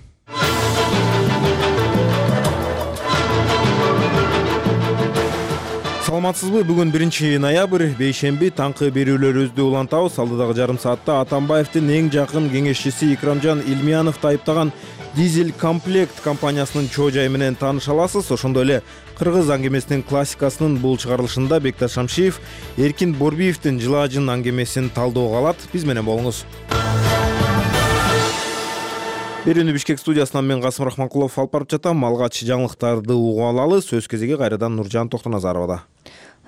Саламатсызбы? Бүгүн биринчи ноябрь, бейшемби, таңкы берүүлөрүбүздү улантабыз. Алдыдагы жарым саатта Атамбаевдин эң жакын кеңешчиси Икрамжан Илмияновду айыптаган Дизель комплект компаниясынын чоо жайы менен тааныша аласыз. Ошондой эле Кыргыз аңгемесинин классикасынын бул чыгарылышында Бекташ Шамшиев Эркин Борбиевдин Жылаажын аңгемесин талдоого алат. Биз менен болуңуз. Берүүнү Бишкек студиясынан мен Касым Рахманкулов алып барып жатам. Алгач жаңылыктарды угуп алалы. Сөз кезеги кайрадан Нуржан Токтоназаровада.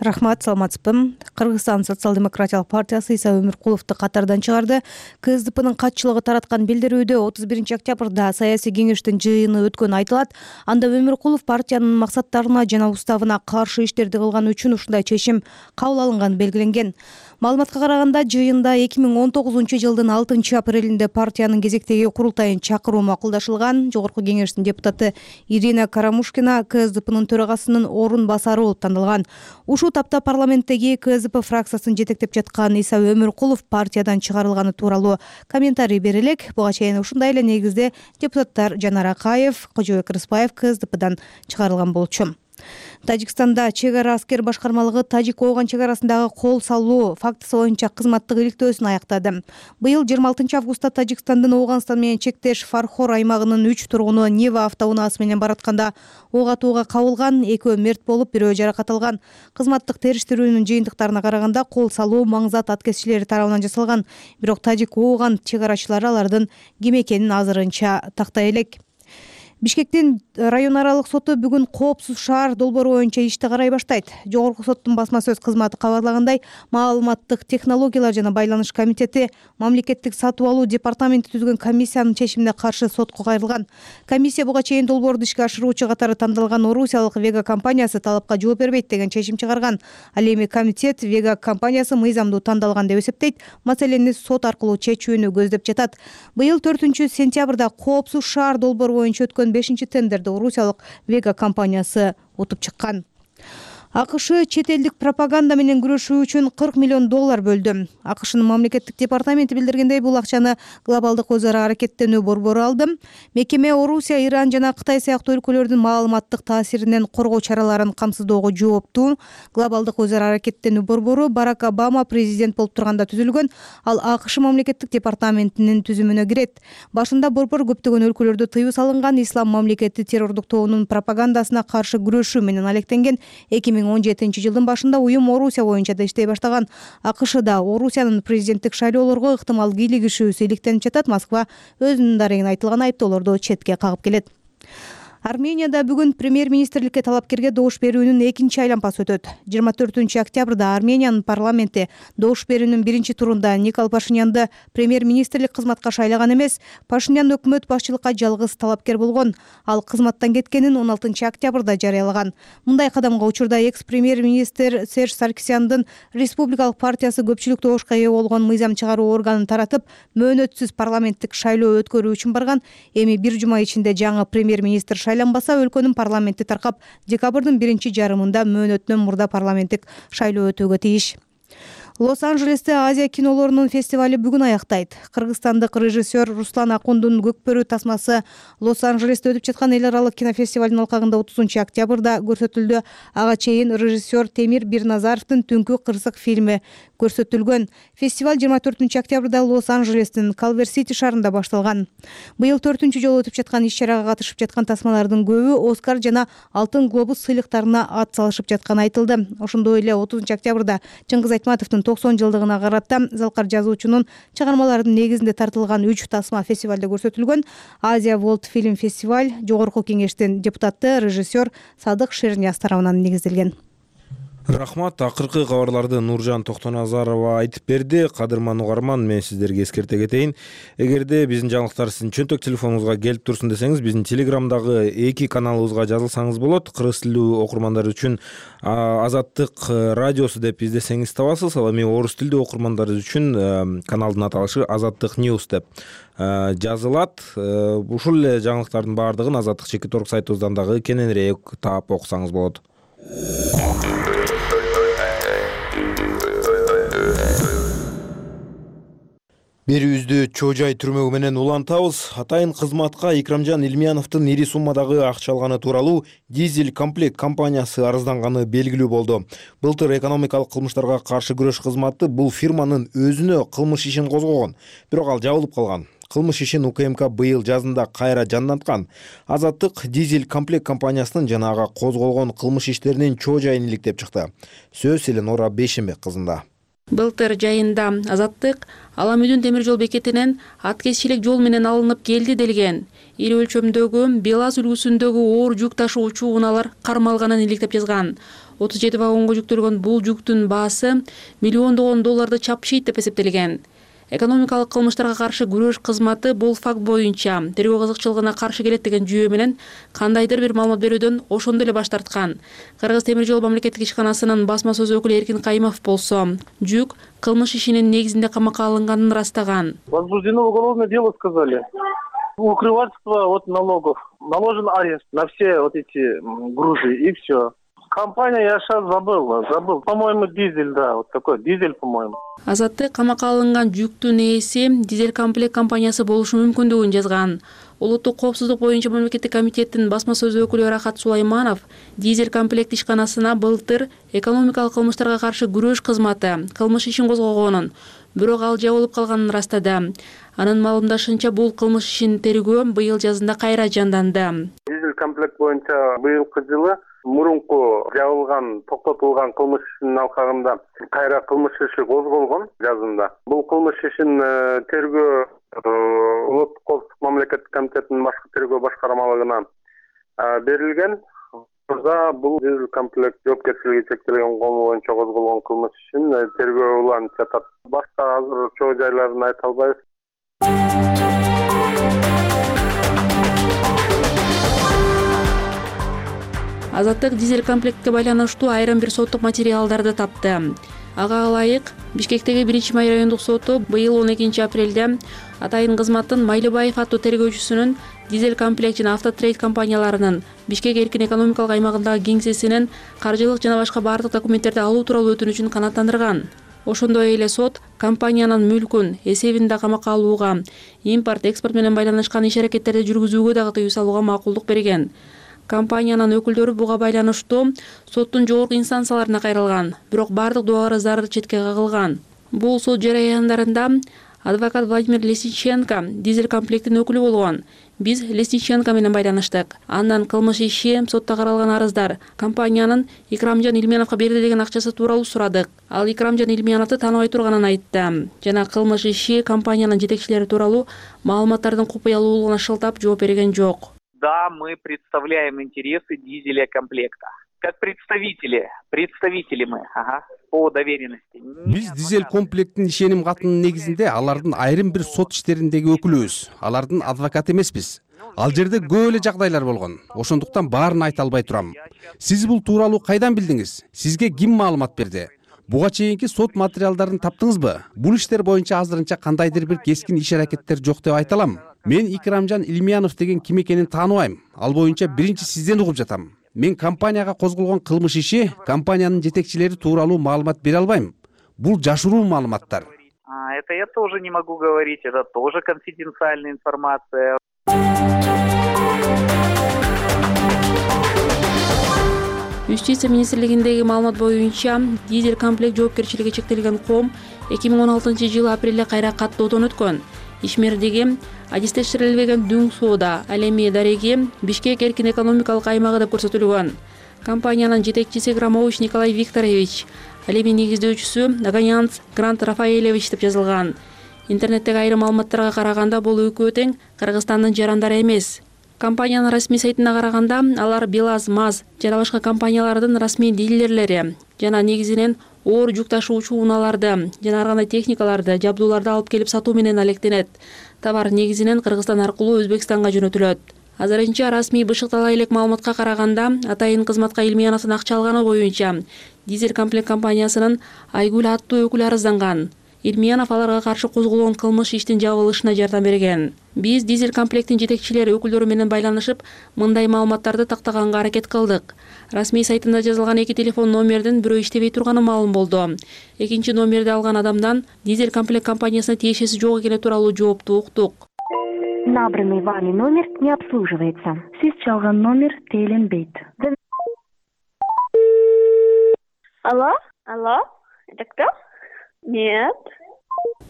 Рахмат, саламатсызбы. Кыргызстан социал-демократиялык партиясы Иса Өмүркуловду катардан чыгарды. КСДПнын катчылыгы тараткан билдирүүдө отуз биринчи октябрда саясий кеңештин жыйыны өткөнү айтылат. Анда Өмүркулов партиянын максаттарына жана уставына каршы иштерди кылганы үчүн ушундай чечим кабыл алынганы белгиленген. Маалыматка караганда, жыйында эки миң он тогузунчу жылдын алтынчы апрелинде партиянын кезектеги курултайын чакыруу макулдашылган. Жогорку кеңештин депутаты Ирина Карамушкина КСДПнын төрагасынын орун басары болуп тандалган. Ушул тапта парламенттеги КСДП фракциясын жетектеп жаткан Иса Өмүркулов партиядан чыгарылганы тууралуу комментарий бере элек. Буга чейин ушундай эле негизде депутаттар Жанар Акаев, Кожобек Рыспаев КСДПдан чыгарылган болчу. Тажикстанда чек ара аскер башкармалыгы Тажик-Ооган чек арасындагы кол салуу фактысы боюнча кызматтык иликтөөсүн аяктады. Быйыл жыйырма алтынчы августта Тажикстандын Ооганстан менен чектеш Фархор аймагынын үч тургуну Нева автоунаасы менен баратканда ок атууга кабылган, экөө мерт болуп, бирөө жаракат алган. Кызматтык териштирүүнүн жыйынтыктарына караганда кол салуу маңзат аткезчилери тарабынан жасалган. Бирок Тажик-Ооган чек арачылары алардын ким экенин азырынча тактай элек. Бишкектин район аралык соту бүгүн коопсуз шаар долбоору боюнча ишти карай баштайт. Жогорку соттун басма сөз кызматы кабарлагандай, маалыматтык технологиялар жана байланыш комитети мамлекеттик сатып алуу департаменти түзгөн комиссиянын чечимине каршы сотко кайрылган. Комиссия буга чейин долбоорду ишке ашыруучу катары тандалган орусиялык Вега компаниясы талапка жооп бербейт деген чечим чыгарган. Ал эми комитет Вега компаниясы мыйзамдуу тандалган деп эсептейт. Маселени сот аркылуу чечүүнү көздөп жатат. Быйыл төртүнчү сентябрда коопсуз шаар долбоору боюнча өткөн бешинчи тендерди орусиялык Вега компаниясы утуп чыккан. АКШ чет элдик пропаганда менен күрөшүү үчүн кырк миллион доллар бөлдү. АКШнын мамлекеттик департаменти билдиргендей, бул акчаны глобалдык өз ара аракеттенүү борбору алды. Мекеме Орусия, Иран жана Кытай сыяктуу өлкөлөрдүн маалыматтык таасиринен коргоо чараларын камсыздоого жооптуу. Глобалдык өз ара аракеттенүү борбору Барак Обама президент болуп турганда түзүлгөн. Ал АКШ мамлекеттик департаментинин түзүмүнө кирет. Башында борбор көптөгөн өлкөлөрдө тыюу салынган ислам мамлекети террордук тобунун пропагандасына каршы күрөшүү менен алектенген. эки миң он жетинчи жылдын башында уюм Орусия боюнча да иштей баштаган. АКШда Орусиянын президенттик шайлоолорго ыктымал кийлигишүүсү иликтенип жатат. Москва өзүнүн дарегине айтылган айыптоолорду четке кагып келет. Арменияда бүгүн премьер-министрликке талапкерге добуш берүүнүн экинчи айлампасы өтөт. жыйырма төртүнчү октябрда Армениянын парламенти добуш берүүнүн биринчи турунда Никол Пашинянды премьер-министрлик кызматка шайлаган эмес, Пашинян өкмөт башчылыкка жалгыз талапкер болгон. Ал кызматтан кеткенин он алтынчы октябрда жарыялаган. Мындай кадамга учурда экс-премьер-министр Серж Саркисяндын Республикалык партиясы көпчүлүк добушка ээ болгон мыйзам чыгаруу органын таратып, мөөнөтсүз парламенттик шайлоо өткөрүү үчүн барган. Эми бир жума ичинде жаңы премьер-министр шайланбаса, өлкөнүн парламенти таркап, декабрдын биринчи жарымында мөөнөттөн мурда парламенттик шайлоо өтүүгө тийиш. Лос-Анджелесте Азия кинолорунун фестивали бүгүн аяктайт. Кыргызстандык режиссер Руслан Акундун Көкбөрү тасмасы Лос-Анджелесте өтүп жаткан эл аралык кинофестивалдын алкагында отузунчу октябрда көрсөтүлдү. Ага чейин режиссер Темир Бирназаровдун Түнкү кырсык фильми көрсөтүлгөн. Фестиваль жыйырма төртүнчү октябрда Лос-Анжелестин Калвер-Сити шаарында башталган. Быйыл төртүнчү жолу өтүп жаткан иш-чарага катышып жаткан тасмалардын көбү Оскар жана Алтын глобус сыйлыктарына ат салышып жатканы айтылды. Ошондой эле отузунчу октябрда Чыңгыз Айтматовдун токсон жылдыгына карата Залкар жазуучунун чыгармаларынын негизинде тартылган үч тасма фестивалда көрсөтүлгөн. Азия World Film Festival жогорку кеңештин депутаты режиссер Садык Шернияз тарабынан негизделген. Рахмат. Акыркы кабарларды Нуржан Токтоназарова айтып берди. Кадырман угарман, мен сиздерге эскерте кетейин. Эгерде биздин жаңылыктар сиздин чөнтөк телефонуңузга келип турсун десеңиз, биздин Телеграмдагы эки каналыбызга жазылсаңыз болот. Кыргыз тилдүү окурмандар үчүн Азаттык радиосу деп издесеңиз табасыз. Ал эми орус тилдүү окурмандар үчүн каналдын аталышы Азаттык News деп жазылат. Ушул эле жаңылыктардын баардыгын Азаттык чекит орг сайтыбыздан дагы кененирээк таап окусаңыз болот. Берүүбүздү Чоо Жай түрмөгү менен улантабыз. Атайын кызматка Икрамжан Илмияновдун ири суммадагы акча алганы тууралуу Дизель комплект компаниясы арызданганы белгилүү болду. Былтыр экономикалык кылмыштарга каршы күрөш кызматы бул фирманын өзүнө кылмыш ишин козгогон, бирок ал жабылып калган. Кылмыш ишин УКМК быйыл жазында кайра жанданткан. Азаттык Дизель комплект компаниясынын жана ага козголгон кылмыш иштеринин чоо жайын иликтеп чыкты. Сөз Эленора Бейшенбек кызында. Былтыр жайында Азаттык Аламүдүн темир жол бекетинен аткезчилик жол менен алынып келди делген. Ири өлчөмдөгү БелАЗ үлгүсүндөгү оор жүк ташуучу унаалар кармалганын иликтеп жазган. отуз жети вагонго жүктөлгөн бул жүктүн баасы миллиондогон долларды чапшыйт деп эсептелген. Экономикалык кылмыштарга каршы күрөш кызматы бул факт боюнча тергөө кызыкчылыгына каршы келет деген жүйө менен кандайдыр бир маалымат берүүдөн ошондо эле баш тарткан. Кыргыз темир жол мамлекеттик ишканасынын басма сөз өкүлү Эркин Кайымов болсо, жүк кылмыш ишинин негизинде камакка алынганын ырастаган. Возбуждено уголовное дело, сказали. Укрывательство от налогов. Наложен арест на все вот эти грузы и все. Компания я сейчас забыл, забыл. По-моему, дизель, да, вот такой дизель, по-моему. Азаттык камакка алынган жүктүн ээси Дизель комплект компаниясы болушу мүмкүндүгүн жазган. Улуттук коопсуздук боюнча мамлекеттик комитеттин басма сөз өкүлү Рахат Сулайманов Дизель комплект ишканасына былтыр экономикалык кылмыштарга каршы күрөш кызматы кылмыш ишин козгогонун, бирок ал жабылып калганын ырастады. Анын маалымдашынча бул кылмыш ишин тергөө быйыл жазында кайра жанданды. Дизель комплект боюнча быйылкы жылы мурунку жабылган, токтотулган кылмыш ишинин алкагында кайра кылмыш иши козголгон жазында. Бул кылмыш ишин тергөө улуттук коопсуздук мамлекеттик комитетинин башкы тергөө башкармалыгына берилген. Бул Дизель комплект жоопкерчилиги чектелген кому боюнча козголгон кылмыш ишин тергөө уланып жатат. Башка азыр чоо жайларын айта албайбыз. Азаттык Дизель комплектке байланыштуу айрым бир соттук материалдарды тапты. Ага ылайык Бишкектеги биринчи май райондук соту быйыл он экинчи апрелде Атайын кызматтын Майлыбаев аттуу тергөөчүсүнүн Дизель комплект жана Автотрейд компанияларынын Бишкек эркин экономикалык аймагындагы кеңсесинен каржылык жана башка бардык документтерди алуу тууралуу өтүнүчүн канааттандырган. Ошондой эле сот компаниянын мүлкүн эсебинде камакка алууга, импорт, экспорт менен байланышкан иш-аракеттерди жүргүзүүгө дагы тыюу салууга макулдук берген. Компаниянын өкүлдөрү буга байланыштуу соттун жогорку инстанцияларына кайрылган, бирок бардык доо арыздары четке кагылган. Бул сот жараяндарында адвокат Владимир Лесниченко Дизель комплектин өкүлү болгон. Биз Лесниченко менен байланыштык. Андан кылмыш иши, сотто каралган арыздар компаниянын Икрамжан Илмияновго берди деген акчасы тууралуу сурадык. Ал Икрамжан Илмияновду тааныбай турганын айтты. Жана кылмыш иши, компаниянын жетекчилери тууралуу маалыматтардын купуялуулугуна шылтап жооп берген жок. Да, мы представляем интересы Дизеля комплекта. Как представители, представители мы, ага, по доверенности. Биз Дизель комплектин ишеним катынын негизинде алардын айрым бир сот иштериндеги өкүлүбүз. Алардын адвокат эмеспиз. Ал жерде көп эле жагдайлар болгон. Ошондуктан баарын айта албай турам. Сиз бул тууралуу кайдан билдиңиз? Сизге ким маалымат берди? Буга чейинки сот материалдарын таптыңызбы? Бул иштер боюнча азырынча кандайдыр бир кескин иш-аракеттер жок деп айта алам. Мен Икрамжан Илмиянов деген ким экенин тааныбайм. Ал боюнча биринчи сизден угуп жатам. Мен компанияга козголгон кылмыш иши, компаниянын жетекчилери тууралуу маалымат бере албайм. Бул жашыруу маалыматтар. А, это я тоже не могу говорить, это тоже конфиденциальная информация. Юстиция министрлигиндеги маалымат боюнча дизель комплект жоопкерчилиги чектелген ком эки миң он алтынчы жылы апрелде кайра каттоодон өткөн. Ишмердиги адистештирилбеген дүң соода, ал эми дареги Бишкек эркин экономикалык аймагы деп көрсөтүлгөн. Компаниянын жетекчиси Громович Николай Викторович, ал эми негиздөөчүсү Наганянц Грант Рафаэлевич деп жазылган. Интернеттеги айрым маалыматтарга караганда бул экөө тең Кыргызстандын жарандары эмес. Компаниянын расмий сайтына караганда алар БелАЗ, МАЗ жана башка компаниялардын расмий дилерлери жана негизинен оор жүк ташуучу унааларды жана ар кандай техникаларды, жабдууларды алып келип сатуу менен алектенет. Товар негизинен Кыргызстан аркылуу Өзбекстанга жөнөтүлөт. Азырынча расмий бышыктала элек маалыматка караганда Атайын кызматка Илмияновдун акча алганы боюнча дизель комплект компаниясынын Айгүл аттуу өкүлү арызданган. Илмиянов аларга каршы козголгон кылмыш иштин жабылышына жардам берген. Биз дизель комплектин жетекчилери өкүлдөрү менен байланышып, мындай маалыматтарды тактаганга аракет кылдык. Расмий сайтында жазылган эки телефон номердин бирөө иштебей турганы маалым болду. Экинчи номерди алган адамдан дизель комплект компаниясына тиешеси жок экени тууралуу жоопту уктук. Набранный вами номер не обслуживается. Сиз чалган номер тейлинбейт. Алло? Алло? Это кто? Нет.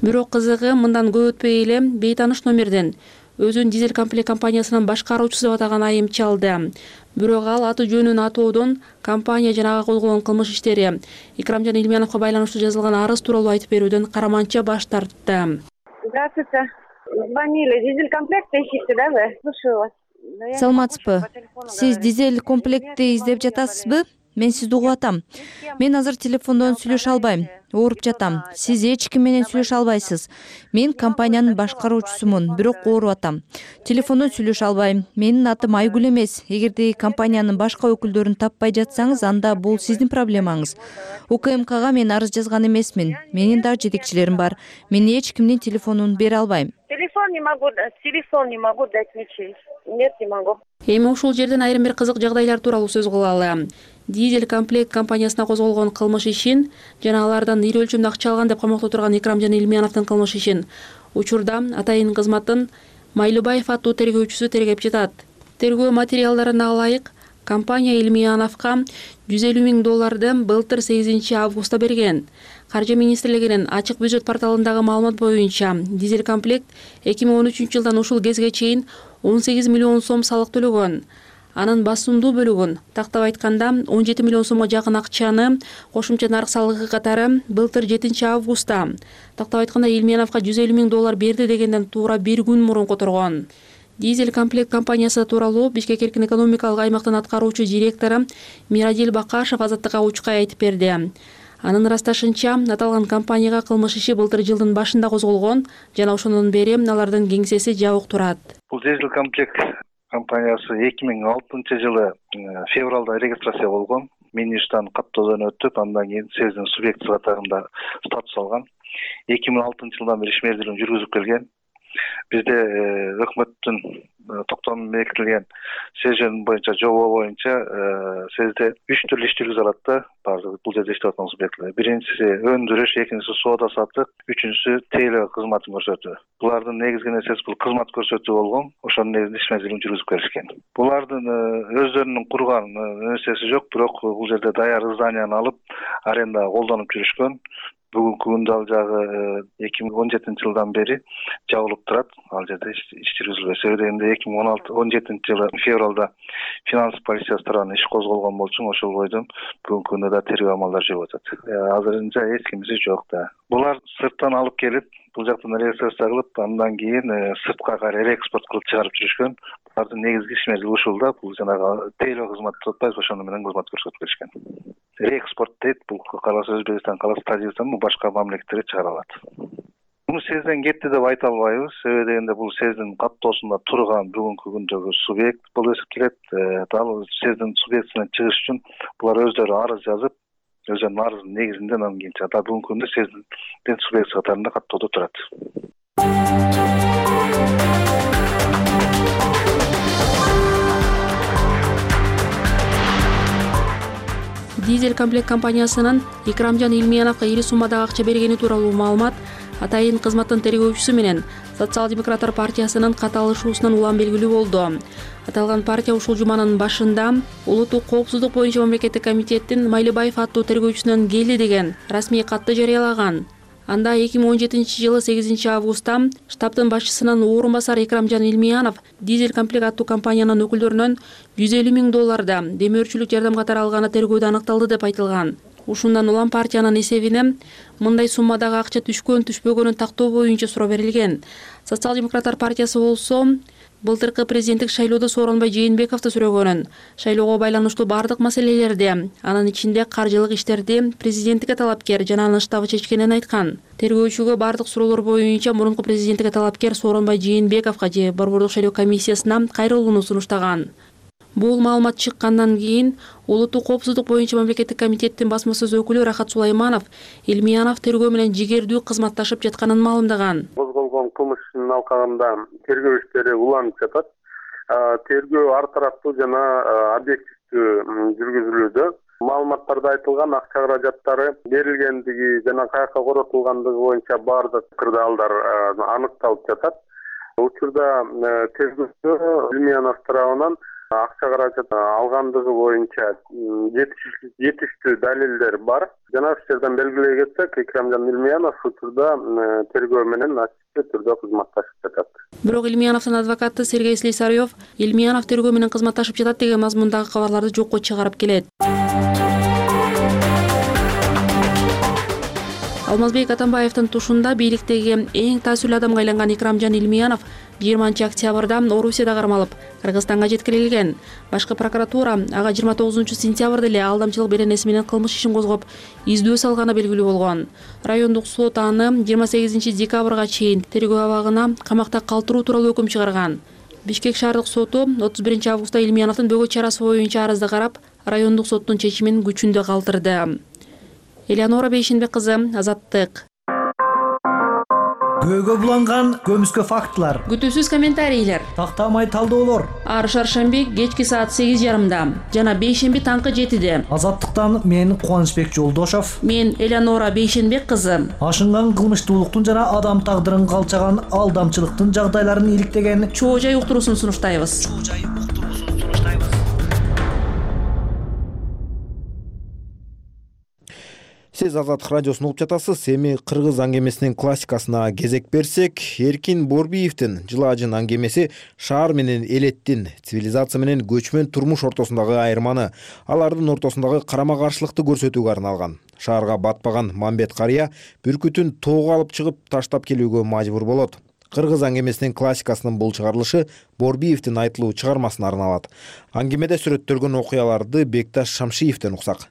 Бирок кызыгы мындан көп өтпөй эле бейтаныш номерден өзүн дизель комплект компаниясынын башкаруучусу деп атаган айым чалды. Бирок ал аты жөнүн атоодон компания жана ага козголгон кылмыш иштери Икрамжан Илмияновго байланыштуу жазылган арыз тууралуу айтып берүүдөн караманча баш тартты. Здравствуйте. Звонили. Дизель комплект ищете, да, вы? Слушаю вас. Саламатсызбы? Сиз дизель комплектти издеп жатасызбы? Мен сизди угуп атам. Мен азыр телефондон сүйлөшө албайм. Ооруп жатам. Сиз эч ким менен сүйлөшө албайсыз. Мен компаниянын башкаруучусумун, бирок ооруп атам. Телефондон сүйлөшө албайм. Менин атым Айгүл эмес. Эгерде компаниянын башка өкүлдөрүн таппай жатсаңыз, анда бул сиздин проблемаңыз. УКМКга мен арыз жазган эмесмин. Менин дагы жетекчилерим бар. Мен эч кимдин телефонун бере албайм. Телефон не могу дать. Телефон не могу дать ничей. Нет, не могу. Эми ушул жерден айрым бир кызык жагдайлар тууралуу сөз кылалы. Дизель комплект компаниясына козголгон кылмыш ишин жана алардан ири өлчөмдө акча алган деп камакта турган Икрамжан Илмияновдун кылмыш ишин учурда Атайын кызматтын Майлыбаев аттуу тергөөчүсү тергеп жатат. Тергөө материалдарына ылайык компания Илмияновго жүз элүү миң долларды былтыр сегизинчи августта берген. Каржы министрлигинин ачык бюджет порталындагы маалымат боюнча дизель комплект эки миң он үчүнчү жылдан ушул кезге чейин он сегиз миллион сом салык төлөгөн. Анын басымдуу бөлүгүн, тактап айтканда он жети миллион сомго жакын акчаны кошумча нарык салыгы катары былтыр жетинчи августта, тактап айтканда Илмияновго жүз элүү миң доллар берди дегенден туура бир күн мурун которгон. Дизель комплект компаниясы тууралуу Бишкек эркин экономикалык аймактын аткаруучу директору Мирадил Бакашев Азаттыкка учкай айтып берди. Анын ырасташынча, аталган компанияга кылмыш иши былтыр жылдын башында козголгон жана ошондон бери алардын кеңсеси жабык турат. Бул дизель комплект компаниясы эки миң алтынчы жылы февралда регистрация болгон. Миништан каттоодон өтүп, андан кийин сездин субъекти катарында статус алган. эки миң алтынчы жылдан бери ишмердүүлүгүн жүргүзүп келген. Бизде өкмөттүн токтомунда бекитилген сезон боюнча жобо боюнча сезде үч түрлүү иш жүргүзө алат да, баардык бул жерде иштеп аткан субъекттер. Биринчиси өндүрүш, экинчиси соода сатык, үчүнчүсү тейлөө кызматын көрсөтүү. Булардын негизги нерсеси бул кызмат көрсөтүү болгон. Ошонун негизинде ишмердүүлүгүн жүргүзүп келишкен. Булардын өздөрүнүн курган нерсеси жок, бирок бул жерде даяр зданияны алып арендага колдонуп жүрүшкөн. Бүгүнкү күндө ал жагы эки миң он жетинчи жылдан бери жабылып турат. Ал жерде иш жүргүзүлбөйт. Себеби эки миң он жетинчи жылы февралда финанс полициясы тарабынан иш козголгон болчу, ошол бойдон бүгүнкү күндө да тергөө амалдары жүрүп атат. Азырынча эч кимиси жок да. Булар сырттан алып келип, бул жактан регистрация кылып, андан кийин сыртка кайра реэкспорт кылып чыгарып жүрүшкөн. Булардын негизги ишмердүүлүгү ушул да, бул жанагы тейлөө кызмат деп атпайбыз, ошону менен кызмат көрсөтүп келишкен. Реэкспорт дейт, бул каласа Өзбекстан, каласа Тажикстан, башка мамлекеттерге чыгара алат. Муну сезден кетти деп айта албайбыз. Себеби дегенде бул сездин каттоосунда турган бүгүнкү күндөгү субъект болуп эсептелет. Дал сездин субъектисинен чыгыш үчүн булар өздөрү арыз жазып, өздөрүнүн арызынын негизинде анан кийин да бүгүнкү күндө сездин субъекти катарында каттоодо турат. Дизель комплект компаниясынын Икрамжан Илмияновго ири суммадагы акча бергени тууралуу маалымат атайын кызматтын тергөөчүсү менен Социал-демократтар партиясынын каталышуусунан улам белгилүү болду. Аталган партия ушул жуманын башында улуттук коопсуздук боюнча мамлекеттик комитеттин Майлыбаев аттуу тергөөчүсүнөн келди деген расмий катты жарыялаган. Анда эки миң он жетинчи жылы сегизинчи августта штабтын башчысынын орун басары Экрамжан Илмиянов дизель комплект аттуу компаниянын өкүлдөрүнөн жүз элүү миң долларда демөөрчүлүк жардам катары алганы тергөөдө аныкталды деп айтылган. Ушундан улам партиянын эсебине мындай суммадагы акча түшкөн түшпөгөнүн тактоо боюнча суроо берилген. Социал-демократтар партиясы болсо былтыркы президенттик шайлоодо Сооронбай Жээнбековду сүрөгөнүн, шайлоого байланыштуу бардык маселелерди, анын ичинде каржылык иштерди президенттикке талапкер жана анын штабы чечкенин айткан. Тергөөчүгө бардык суроолор боюнча мурунку президенттикке талапкер Сооронбай Жээнбековго же Борбордук шайлоо комиссиясына кайрылууну сунуштаган. Бул маалымат чыккандан кийин улуттук коопсуздук боюнча мамлекеттик комитеттин басма сөз өкүлү Рахат Сулайманов Илмиянов тергөө менен жигердүү кызматташып жатканын маалымдаган. Козголгон кылмыштын алкагында тергөө иштери уланып жатат. Тергөө ар тараптуу жана объективдүү жүргүзүлүүдө. Маалыматтарда айтылган акча каражаттары берилгендиги жана каяка коротулгандыгы боюнча бардык кырдаалдар аныкталып жатат. Учурда тергөөчү Илмиянов тарабынан акча каражат алгандыгы боюнча жетиштүү далилдер бар. Жана ушул белгилей кетсек, Экрамжан Илмиянов учурда тергөө менен ачык түрдө кызматташып жатат. Бирок Илмияновдун адвокаты Сергей Слесарев Илмиянов тергөө менен кызматташып жатат деген мазмундагы кабарларды жокко чыгарып келет. Алмазбек Атамбаевдин тушунда бийликтеги эң таасирлүү адамга айланган Экрамжан Илмиянов жыйырманчы октябрда Орусияда кармалып, Кыргызстанга жеткирилген. Башкы прокуратура ага жыйырма тогузунчу сентябрда эле алдамчылык беренеси менен кылмыш ишин козгоп, издөө салганы белгилүү болгон. Райондук сот аны жыйырма сегизинчи декабрга чейин тергөө абагына камакта калтыруу тууралуу өкүм чыгарган. Бишкек шаардык соту отуз биринчи августта Илмияновдун бөгөт чарасы боюнча арызды карап, райондук соттун чечимин күчүндө калтырды. Элеонора Бейшенбек кызы, Азаттык. Көөгө буланган көмүскө фактылар. Күтүүсүз комментарийлер. Тактамай талдоолор. Ар шаршемби кечки саат сегиз жарымда жана бейшемби таңкы жетиде. Азаттыктан мен Кубанычбек Жолдошов. Мен Элеонора Бейшенбек кызы. Ашынган кылмыштуулуктун жана адам тагдырын калчаган алдамчылыктын жагдайларын иликтеген чоо жай уктуруусун сунуштайбыз. Сиз Азаттык радиосун угуп жатасыз. Эми кыргыз аңгемесинин классикасына кезек берсек, Эркин Борбиевдин Жылаажын аңгемеси шаар менен элеттин, цивилизация менен көчмөн турмуш ортосундагы айырманы, алардын ортосундагы карама-каршылыкты көрсөтүүгө арналган. Шаарга батпаган Мамбет карыя бүркүтүн тоого алып чыгып таштап келүүгө мажбур болот. Кыргыз аңгемесинин классикасынын бул чыгарылышы Борбиевдин айтылуу чыгармасына арналат. Аңгемеде сүрөттөлгөн окуяларды Бекташ Шамшиевден уксак.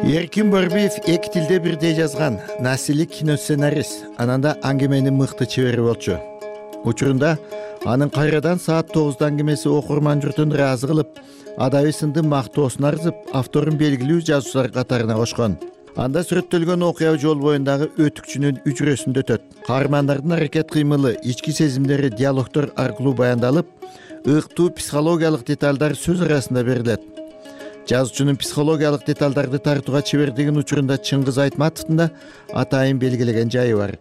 Эркин Борбиев эки тилде бирдей жазган насилик киносценарист, ананда аңгеменин мыкты чебери болчу. Учурунда анын кайрадан саат тогузда аңгемеси окурман журтун ыраазы кылып, адаби сынды мактоосун арзып, авторун белгилүү жазуучулар катарына кошкон. Анда сүрөттөлгөн окуя жол боюндагы өтүкчүнүн үчүрөсүндө өтөт. Каармандардын аракет кыймылы, ички сезимдери диалогдор аркылуу баяндалып, ыктуу психологиялык деталдар сөз арасында берилет. Жазуучунун психологиялык деталдарды тартууга чебердигин учурунда Чыңгыз Айтматовдун да атайын белгилеген жайы бар.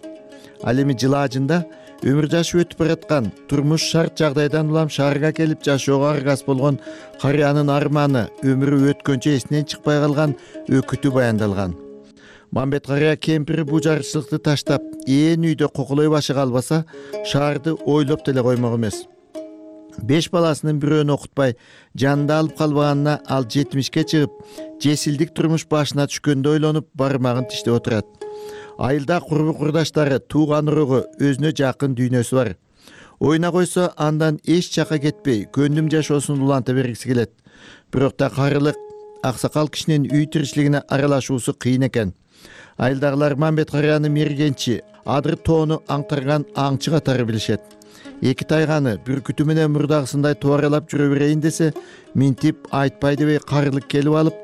Ал эми Жылаажында өмүр жашы өтүп бараткан, турмуш шарт жагдайдан улам шаарга келип жашоого аргас болгон карыянын арманы, өмүрү өткөнчө эсинен чыкпай калган өкүтү баяндалган. Мамбет карыя кемпири бул жарычылыкты таштап, ээн үйдө кокулой башыга албаса, шаарды ойлоп деле коймок эмес. Беш баласынын бирөөнү окутпай, жанында алып калбаганына ал жетимишке чыгып, жесилдик турмуш башына түшкөндө ойлонуп, бармагын тиштеп отурат. Айылда курбу курдаштары, тууган урugу, өзүнө жакын дүйнөсү бар. Ойна койсо андан эч жака кетпей, көндүм жашоосун уланта бергиси келет. Бирок да карылык, аксакал кишинин үй тиричилигине аралашуусу кыйын экен. Айылдагылар Мамбет карыяны мергенчи, адыр тоону аңтарган аңчы катары билишет. Эки тайганы бүркүтү менен мурдагысындай туаралап жүрө берейин десе, минтип айтпай дебей карылык келип алып,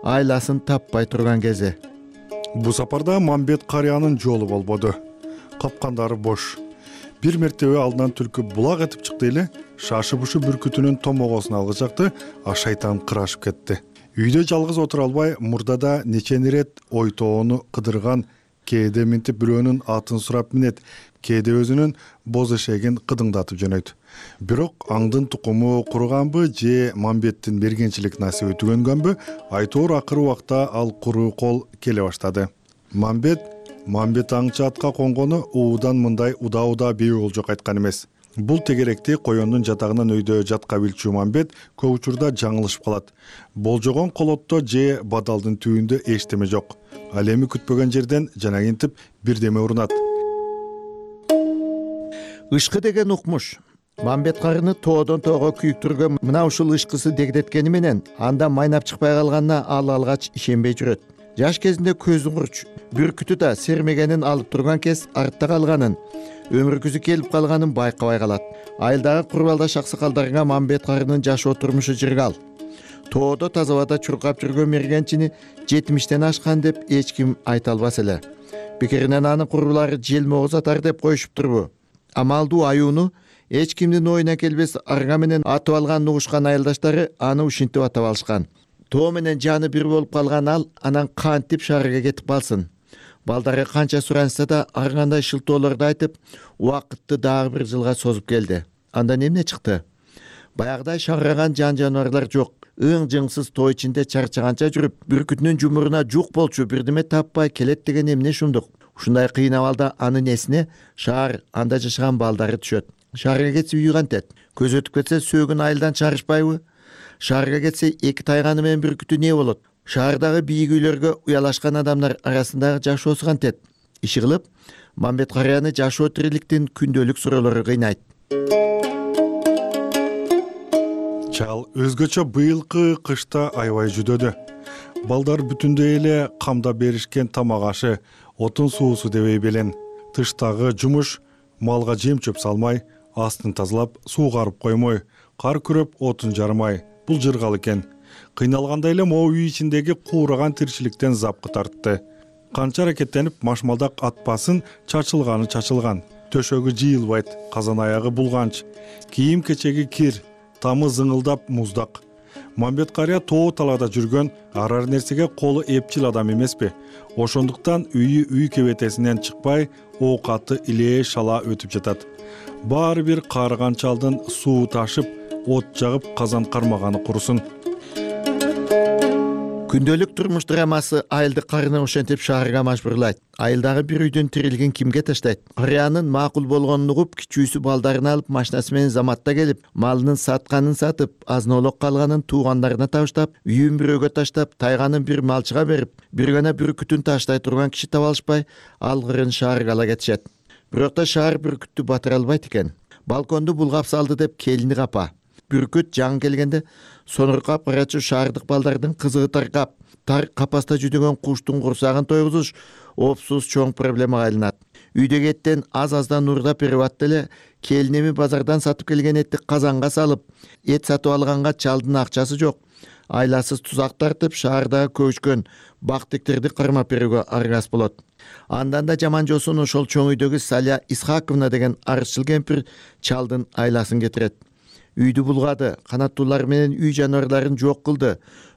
айласын таппай турган кези. Бу сапарда Мамбет карыянын жолу болбоду. Капкандары бош. Бир мертебе алдынан түлкү булак этип чыкты эле, шашы бушу бүркүтүнүн томогосун алгычакты, а шайтан кырашып кетти. Үйдө жалгыз отура албай, мурдада нечени ирет ойтоону кыдырган кээде минтип бирөөнүн атын сурап минет, кээде өзүнүн боз эшегин кыдыңдатып жөнөйт. Бирок аңдын тукуму куруганбы же Мамбеттин мергенчилик насиби түгөнгөнбү, айтоор акыры убакта ал куруу кол келе баштады. Мамбет Мамбет аңчы атка конгону уудан мындай удаа-удаа бий болжок айткан эмес. Бул тегеректи коёндун жатагынан өйдө жатка билчү Мамбет көп учурда жаңылышып калат. Болжогон колотто же бадалдын түбүндө эчтеме жок. Ал эми күтпөгөн жерден жанагинтип бирдеме урунат. Ышкы деген укмуш. Мамбет карыны тоодон тоого күйүктүргөн мына ушул ышкысы дегдеткени менен анда майнап чыкпай калганына ал алгач ишенбей жүрөт. Жаш кезинде көзүн курч, бүркүтү да сермегенин алып турган кез артта калганын, өмүргүсү келип калганын байкабай калат. Айылдагы курбалдаш аксакалдарга Мамбет карынын жашоо турмушу жыргал. Тоодо таза абада чуркап жүргөн мергенчини жетимиштен ашкан деп эч ким айта албас эле. Бекеринен анын курбулары желмогуз атар деп коюшуптурбу? Амалдуу аюуну эч кимдин оюна келбес арга менен атып алганын угушкан айылдаштары аны ушинтип атап алышкан. Тоо менен жаны бир болуп калган ал анан кантип шаарга кетип калсын. Балдары канча суранса да ар кандай шылтоолорду айтып, убакытты дагы бир жылга созуп келди. Андан эмне чыкты? Баягыдай шаргаган жан жаныбарлар жок. Ың-жыңсыз тоо ичинде чарчаганча жүрүп, бүркүтүнүн жумуруна жук болчу бирдеме таппай келет деген эмне шундук? Ушундай кыйын абалда анын эсине шаар, анда жашаган балдары түшөт. Шаарга кетсе үй кантет? Көз өтүп кетсе сөөгүн айылдан чарышпайбы? Шаарга кетсе эки тайганы менен бүркүтү не болот? Шаардагы бийик үйлөргө уялашкан адамдар арасындагы жашоосу кантет? Иши кылып, Мамбет карыяны жашоо тириликтин күндөлүк суроолору кыйнайт. Чал өзгөчө быйылкы кышта аябай жүдөдү. Балдар бүтүндөй эле камда беришкен тамак ашы, отун суусу дебей белен. Тыштагы жумуш малга жем чөп салмай, астын тазалап, суугарып коймой, кар күрөп, отун жармай. Бул жыргал экен. Кыйналгандай эле могу үй ичиндеги куураган тирчиликтен запкы тартты. Канча аракеттенип машмалдак атпасын, чачылганы чачылган. Төшөгү жыйылбайт, казан аягы булганч. Кийим кечеги кир, тамы зыңылдап муздак. Мамбет карыя тоо талаада жүргөн, арар нерсеге колу эпчил адам эмеспи? Ошондуктан үйү үй кебетесинен чыкпай, оокаты илээ шала өтүп жатат. Баары бир каарыган чалдын суу ташып, от жагып казан кармаганы курусун. Күндөлүк турмуш драмасы айылды карыны ошентип шаарга мажбурлайт. Айылдагы бир үйдүн тирилигин кимге таштайт? Карыянын макул болгонун угуп, кичүүсү балдарын алып машинасы менен заматта келип, малынын сатканын сатып, азын-олок калганын туугандарына табыштап, үйүн бирөөгө таштап, тайганын бир малчыга берип, бир гана бүркүтүн таштай турган киши таба алышпай, алгырын шаарга ала кетишет. Бирок да шаар бүркүттү батыра албайт экен. Балконду булгап салды деп келини капа. Бүркүт жаңы келгенде сонуркап карачу шаардык балдардын кызыгы таркап, тар капаста жүдөгөн куштун курсагын тойгузуш опсуз чоң проблемага айланат. Үйдөгү эттен аз-аздан уурдап берип атты эле, келинеми базардан сатып келген этти казанга салып, эт сатып алганга чалдын акчасы жок. Айласыз тузак тартып, шаардагы көчкөн бактиктерди кармап берүүгө аргас болот. Андан да жаман жосун ошол чоң үйдөгү Саля Исхаковна деген арызчыл кемпир чалдын айласын кетирет. Үйдү булгады, канаттуулар менен үй жаныбарларын жок кылды,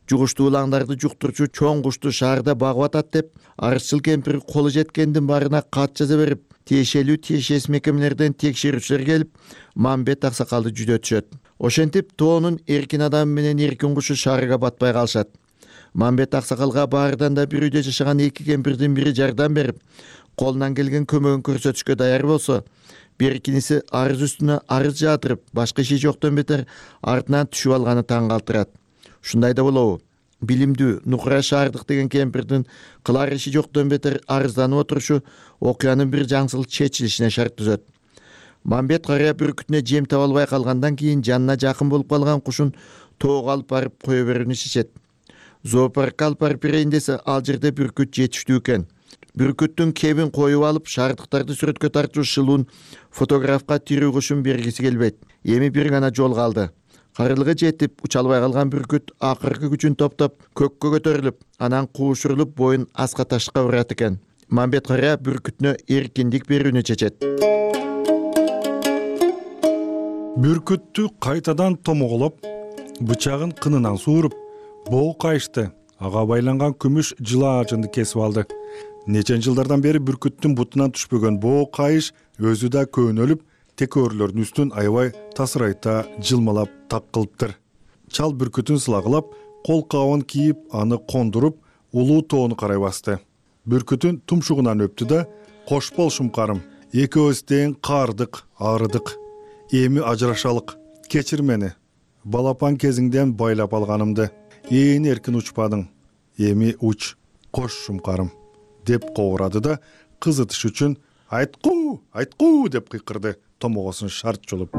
жугуштуу улаңдарды жуктурчу чоң кушту шаарда багып атат деп, арызчыл кемпир колу жеткендин баарына кат жаза берип, тиешелүү тиешесиз мекемелерден текшерүүчүлөр келип, Мамбет аксакалды жүдөтүшөт. Ошентип тоонун эркин адамы менен эркин кушу шаарга батпай калышат. Мамбет аксакалга баардан да бир үйдө жашаган эки кемпирдин бири жардам берип, колунан келген көмөгүн көрсөтүшкө даяр болсо, беркиниси арыз үстүнө арыз жаатырып, башка иши жоктон бетер артынан түшүп алганы таң калтырат. Ушундай да болобу? Билимдүү Нукура Шаардык деген кемпирдин кылар иши жоктон бетер арызданып отурушу окуянын бир жаңсыл чечилишине шарт түзөт. Мамбет карыя бүркүтүнө жем таба албай калгандан кийин жанына жакын болуп калган кушун тоого алып барып кое берүүнү чечет. Зоопаркка алып барып берейин десе, ал жерде бүркүт жетиштүү экен. Бүркүттүн кебин коюп алып, шаардыктарды сүрөткө тартуу шылуун фотографка тирүү кушун бергиси келбейт. Эми бир гана жол калды. Карылыгы жетип, уча албай калган бүркүт акыркы күчүн топтоп, көккө көтөрүлүп, анан куушурулуп боюн аска ташка урат экен. Мамбет карыя бүркүтүнө эркиндик берүүнү чечет. Бүркүттү кайтадан томоголоп, бычагын кынынан сууруп, боо кайышты. Ага байланган күмүш жылаажынды кесип алды. Нечен жылдардан бери бүркүттүн бутунан түшпөгөн боо кайыш өзү да көөнөлүп, текөөрүлөрдүн үстүн аябай тасырайта жылмалап так кылыптыр. Чал бүркүтүн сылагылап, кол кабын кийип, аны кондуруп, улуу тоону карай басты. Бүркүтүн тумшугунан өптү да: "Кош бол шумкарым, экөөбүз тең каардык, арыдык. Эми ажырашалык. Кечир мени. Балапан кезиңден байлап алганымды. Ээн эркин учпадың. Эми уч, кош шумкарым" деп кобурады да кызытыш үчүн "Айткуу, айткуу" деп кыйкырды, томогосун шарт жолуп.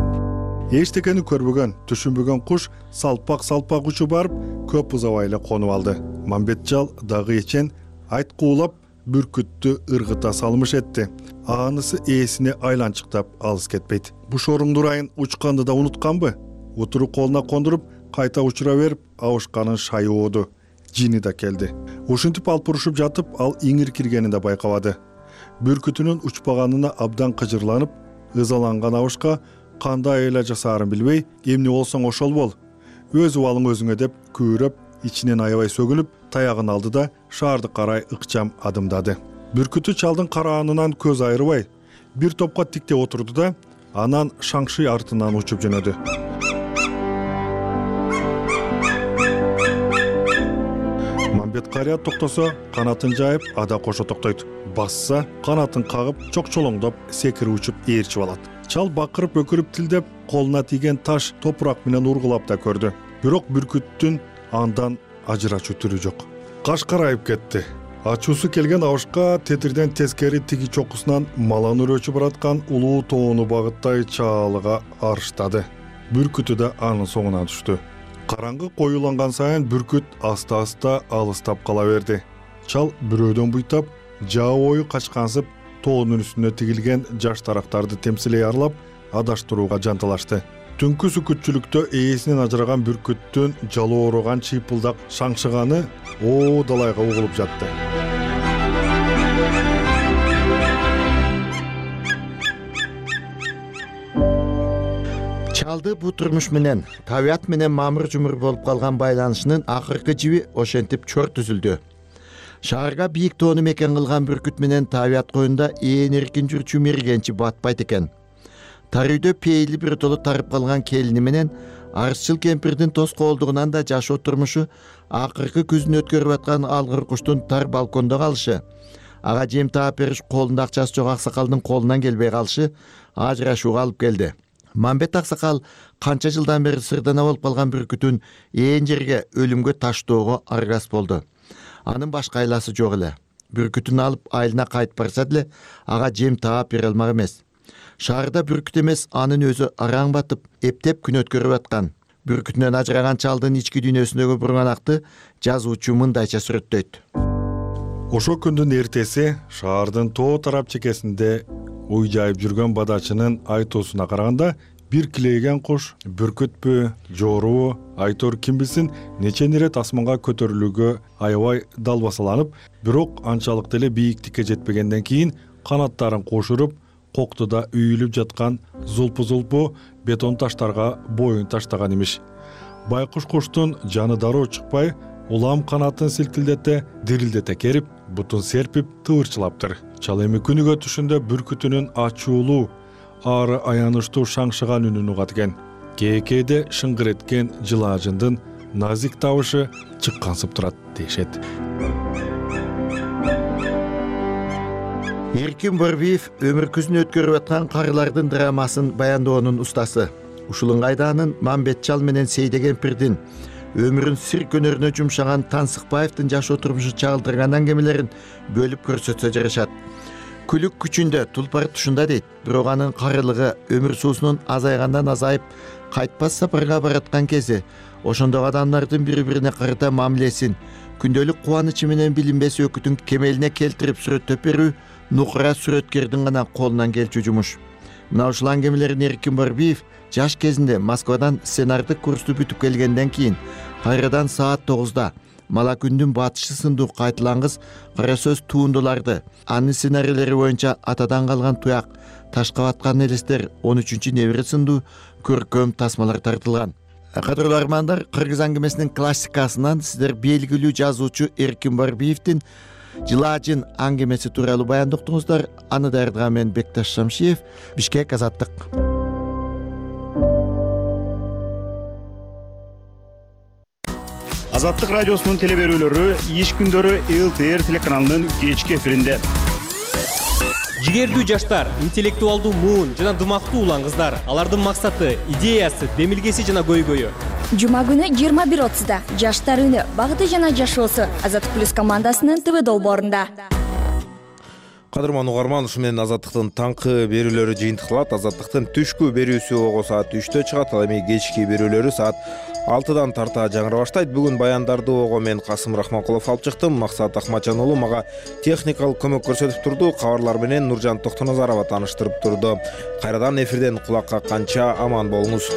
Эчтекени көрбөгөн, түшүнбөгөн куш салпак-салпак учуп барып, көп узабай эле конуп алды. Мамбетчал дагы эчен айткуулап бүркүттү ыргыта салмыш этти. Анысы ээсине айланчыктап алыс кетпейт. Бушоруң дурайын учканды да унутканбы? Утуру колуна кондуруп, кайта учура берип, абышканын шайы ооду. Жини да келди. Ушинтип алпурушуп жатып, ал иңир киргенин да байкабады. Бүркүтүнүн учпаганына абдан кыжырланып, ызаланган абышка кандай эле жасаарын билбей, "Эмне болсоң ошол бол. Өз убалың өзүңө" деп күбүрөп, ичинен аябай сөгүнүп, таягын алды да шаарды карай ыкчам адымдады. Бүркүтү чалдын караанынан көз айрыбай, бир топко тиктеп отурду да анан шаңшый артынан учуп жөнөдү. Мамбет карыя токтосо, канатын жайып, ада кошо токтойт. Басса, канатын кагып, чокчолоңдоп, секирип учуп ээрчип алат. Чал бакырып өкүрүп тилдеп, колуна тийген таш топурак менен ургулап да көрдү. Бирок бүркүттүн андан ажырачуу түрү жок. Каш карайып кетти. Ачуусу келген абышка тетирден тескери тиги чокусунан малан өрөөчү бараткан улуу тоону багыттай чаалыга арыштады. Бүркүтү да анын соңуна түштү. Караңгы коюланган сайын бүркүт аста-аста алыстап кала берди. Чал бирөөдөн буйтап, жаа бою качкансып, тоонун үстүнө тигилген жаш тарактарды темсилей арлап, адаштырууга жанталашты. Түнкү сүкүтчүлүктө ээсинен ажыраган бүркүттүн жалоороган чыйпылдак шаңшыганы оо далайга угулуп жатты. Чалды бу турмуш менен, табият менен мамыр-жумур болуп калган байланышынын акыркы жиби ошентип чорт үзүлдү. Шаарга бийик тоону мекен кылган бүркүт менен табият коюнда ээн эркин жүрчү мергенчи батпайт экен. Тар үйдө пейили бир толу тарып калган келини менен арызчыл кемпирдин тоскоолдугунан да жашоо турмушу, акыркы күзүн өткөрүп аткан алгыр куштун тар балкондо калышы, ага жем таап бериш колунда акчасы жок аксакалдын колунан келбей калышы ажырашууга алып келди. Мамбет аксакал канча жылдан бери сырдана болуп калган бүркүтүн ээн жерге өлүмгө таштоого аргас болду. Анын башка айласы жок эле. Бүркүтүн алып айылына кайтып барса деле ага жем таап бере алмак эмес. Шаарда бүркүт эмес, анын өзү араң батып, эптеп күн өткөрүп аткан. Бүркүтүнөн ажыраган чалдын ички дүйнөсүндөгү бурганакты жазуучу мындайча сүрөттөйт. Ошо күндүн эртеси шаардын тоо тарап чекесинде уй жайып жүргөн бадачынын айтуусуна караганда, бир килейген куш бүркүтпү, жоорубу, айтор ким билсин, нечен ирет асманга көтөрүлүүгө аябай далбасаланып, бирок анчалык деле бийиктикке жетпегенден кийин канаттарын кошуруп, коктуда үйүлүп жаткан зулпу-зулпу бетон таштарга боюн таштаган имиш. Байкуш куштун жаны дароо чыкпай, улам канатын силкилдете, дирилдете керип, бутун серпип, тывырчылаптыр. Чал эми күнүгө түшүндө бүркүтүнүн ачуулуу, ары аянычтуу шаңшыган үнүн угат экен. Кээкээде шыңгыр эткен жылаажындын назик табышы чыккансып турат дешет. Эркин Борбиев өмүр күзүн өткөрүп аткан карылардын драмасын баяндоонун устасы. Ушул ыңгайда Мамбетчал менен Сейде кемпирдин өмүрүн сир көнөрүнө жумшаган Тансыкбаевдин жашоо турмушу чагылдырган аңгемелерин бөлүп көрсөтсө жарашат. Күлүк күчүндө тулпар тушунда дейт, бирок анын карылыгы өмүр суусунун азайгандан азайып, кайтпас сапарга бараткан кези, ошондогу адамдардын бири-бирине карата мамилесин, күндөлүк кубанычы менен билинбес өкүтүн кемелине келтирип сүрөттөп берүү нукура сүрөткердин гана колунан келчү жумуш. Мына ушул аңгемелерин Эркин Борбиев жаш кезинде Москвадан сценардык курсту бүтүп келгенден кийин кайрадан саат тогузда Мала күндүн батышы сындуу кайтылангыс кара сөз туундуларды, анын сценарийлери боюнча атадан калган туяк, ташка баткан элестер, он үчүнчү небире сындуу көркөм тасмалар тартылган. Кадырлуу армандар, кыргыз аңгемесинин классикасынан сиздер белгилүү жазуучу Эркин Борбиевдин жылаажын аңгемеси тууралуу баяндоо уктуңуздар. Аны даярдаган мен Бекташ Шамшиев. Бишкек, Азаттык. Азаттык радиосунун теле берүүлөрү иш күндөрү эл тэ эр телеканалынын кечки эфиринде. Жигердүү жаштар, интеллектуалдуу муун жана дымактуу улан кыздар, алардын максаты, идеясы, демилгеси жана көйгөйү. Жума күнү жыйырма бир отузда жаштар үнү, багыты жана жашоосу Азаттык плюс командасынын ТВ долбоорунда. Кадырман угарман, ушу менен Азаттыктын таңкы берүүлөрү жыйынтыкталат. Азаттыктын түшкү берүүсү ого саат үчтө чыгат, ал эми кечки берүүлөрү саат алтыдан тарта жаңыра баштайт. Бүгүн баяндарды ого мен Касым Рахманкулов алып чыктым. Максат Акматжан уулу мага техникалык көмөк көрсөтүп турду. Кабарлар менен Нуржан Токтоназарова тааныштырып турду. Кайрадан эфирден кулак какканча аман болуңуз.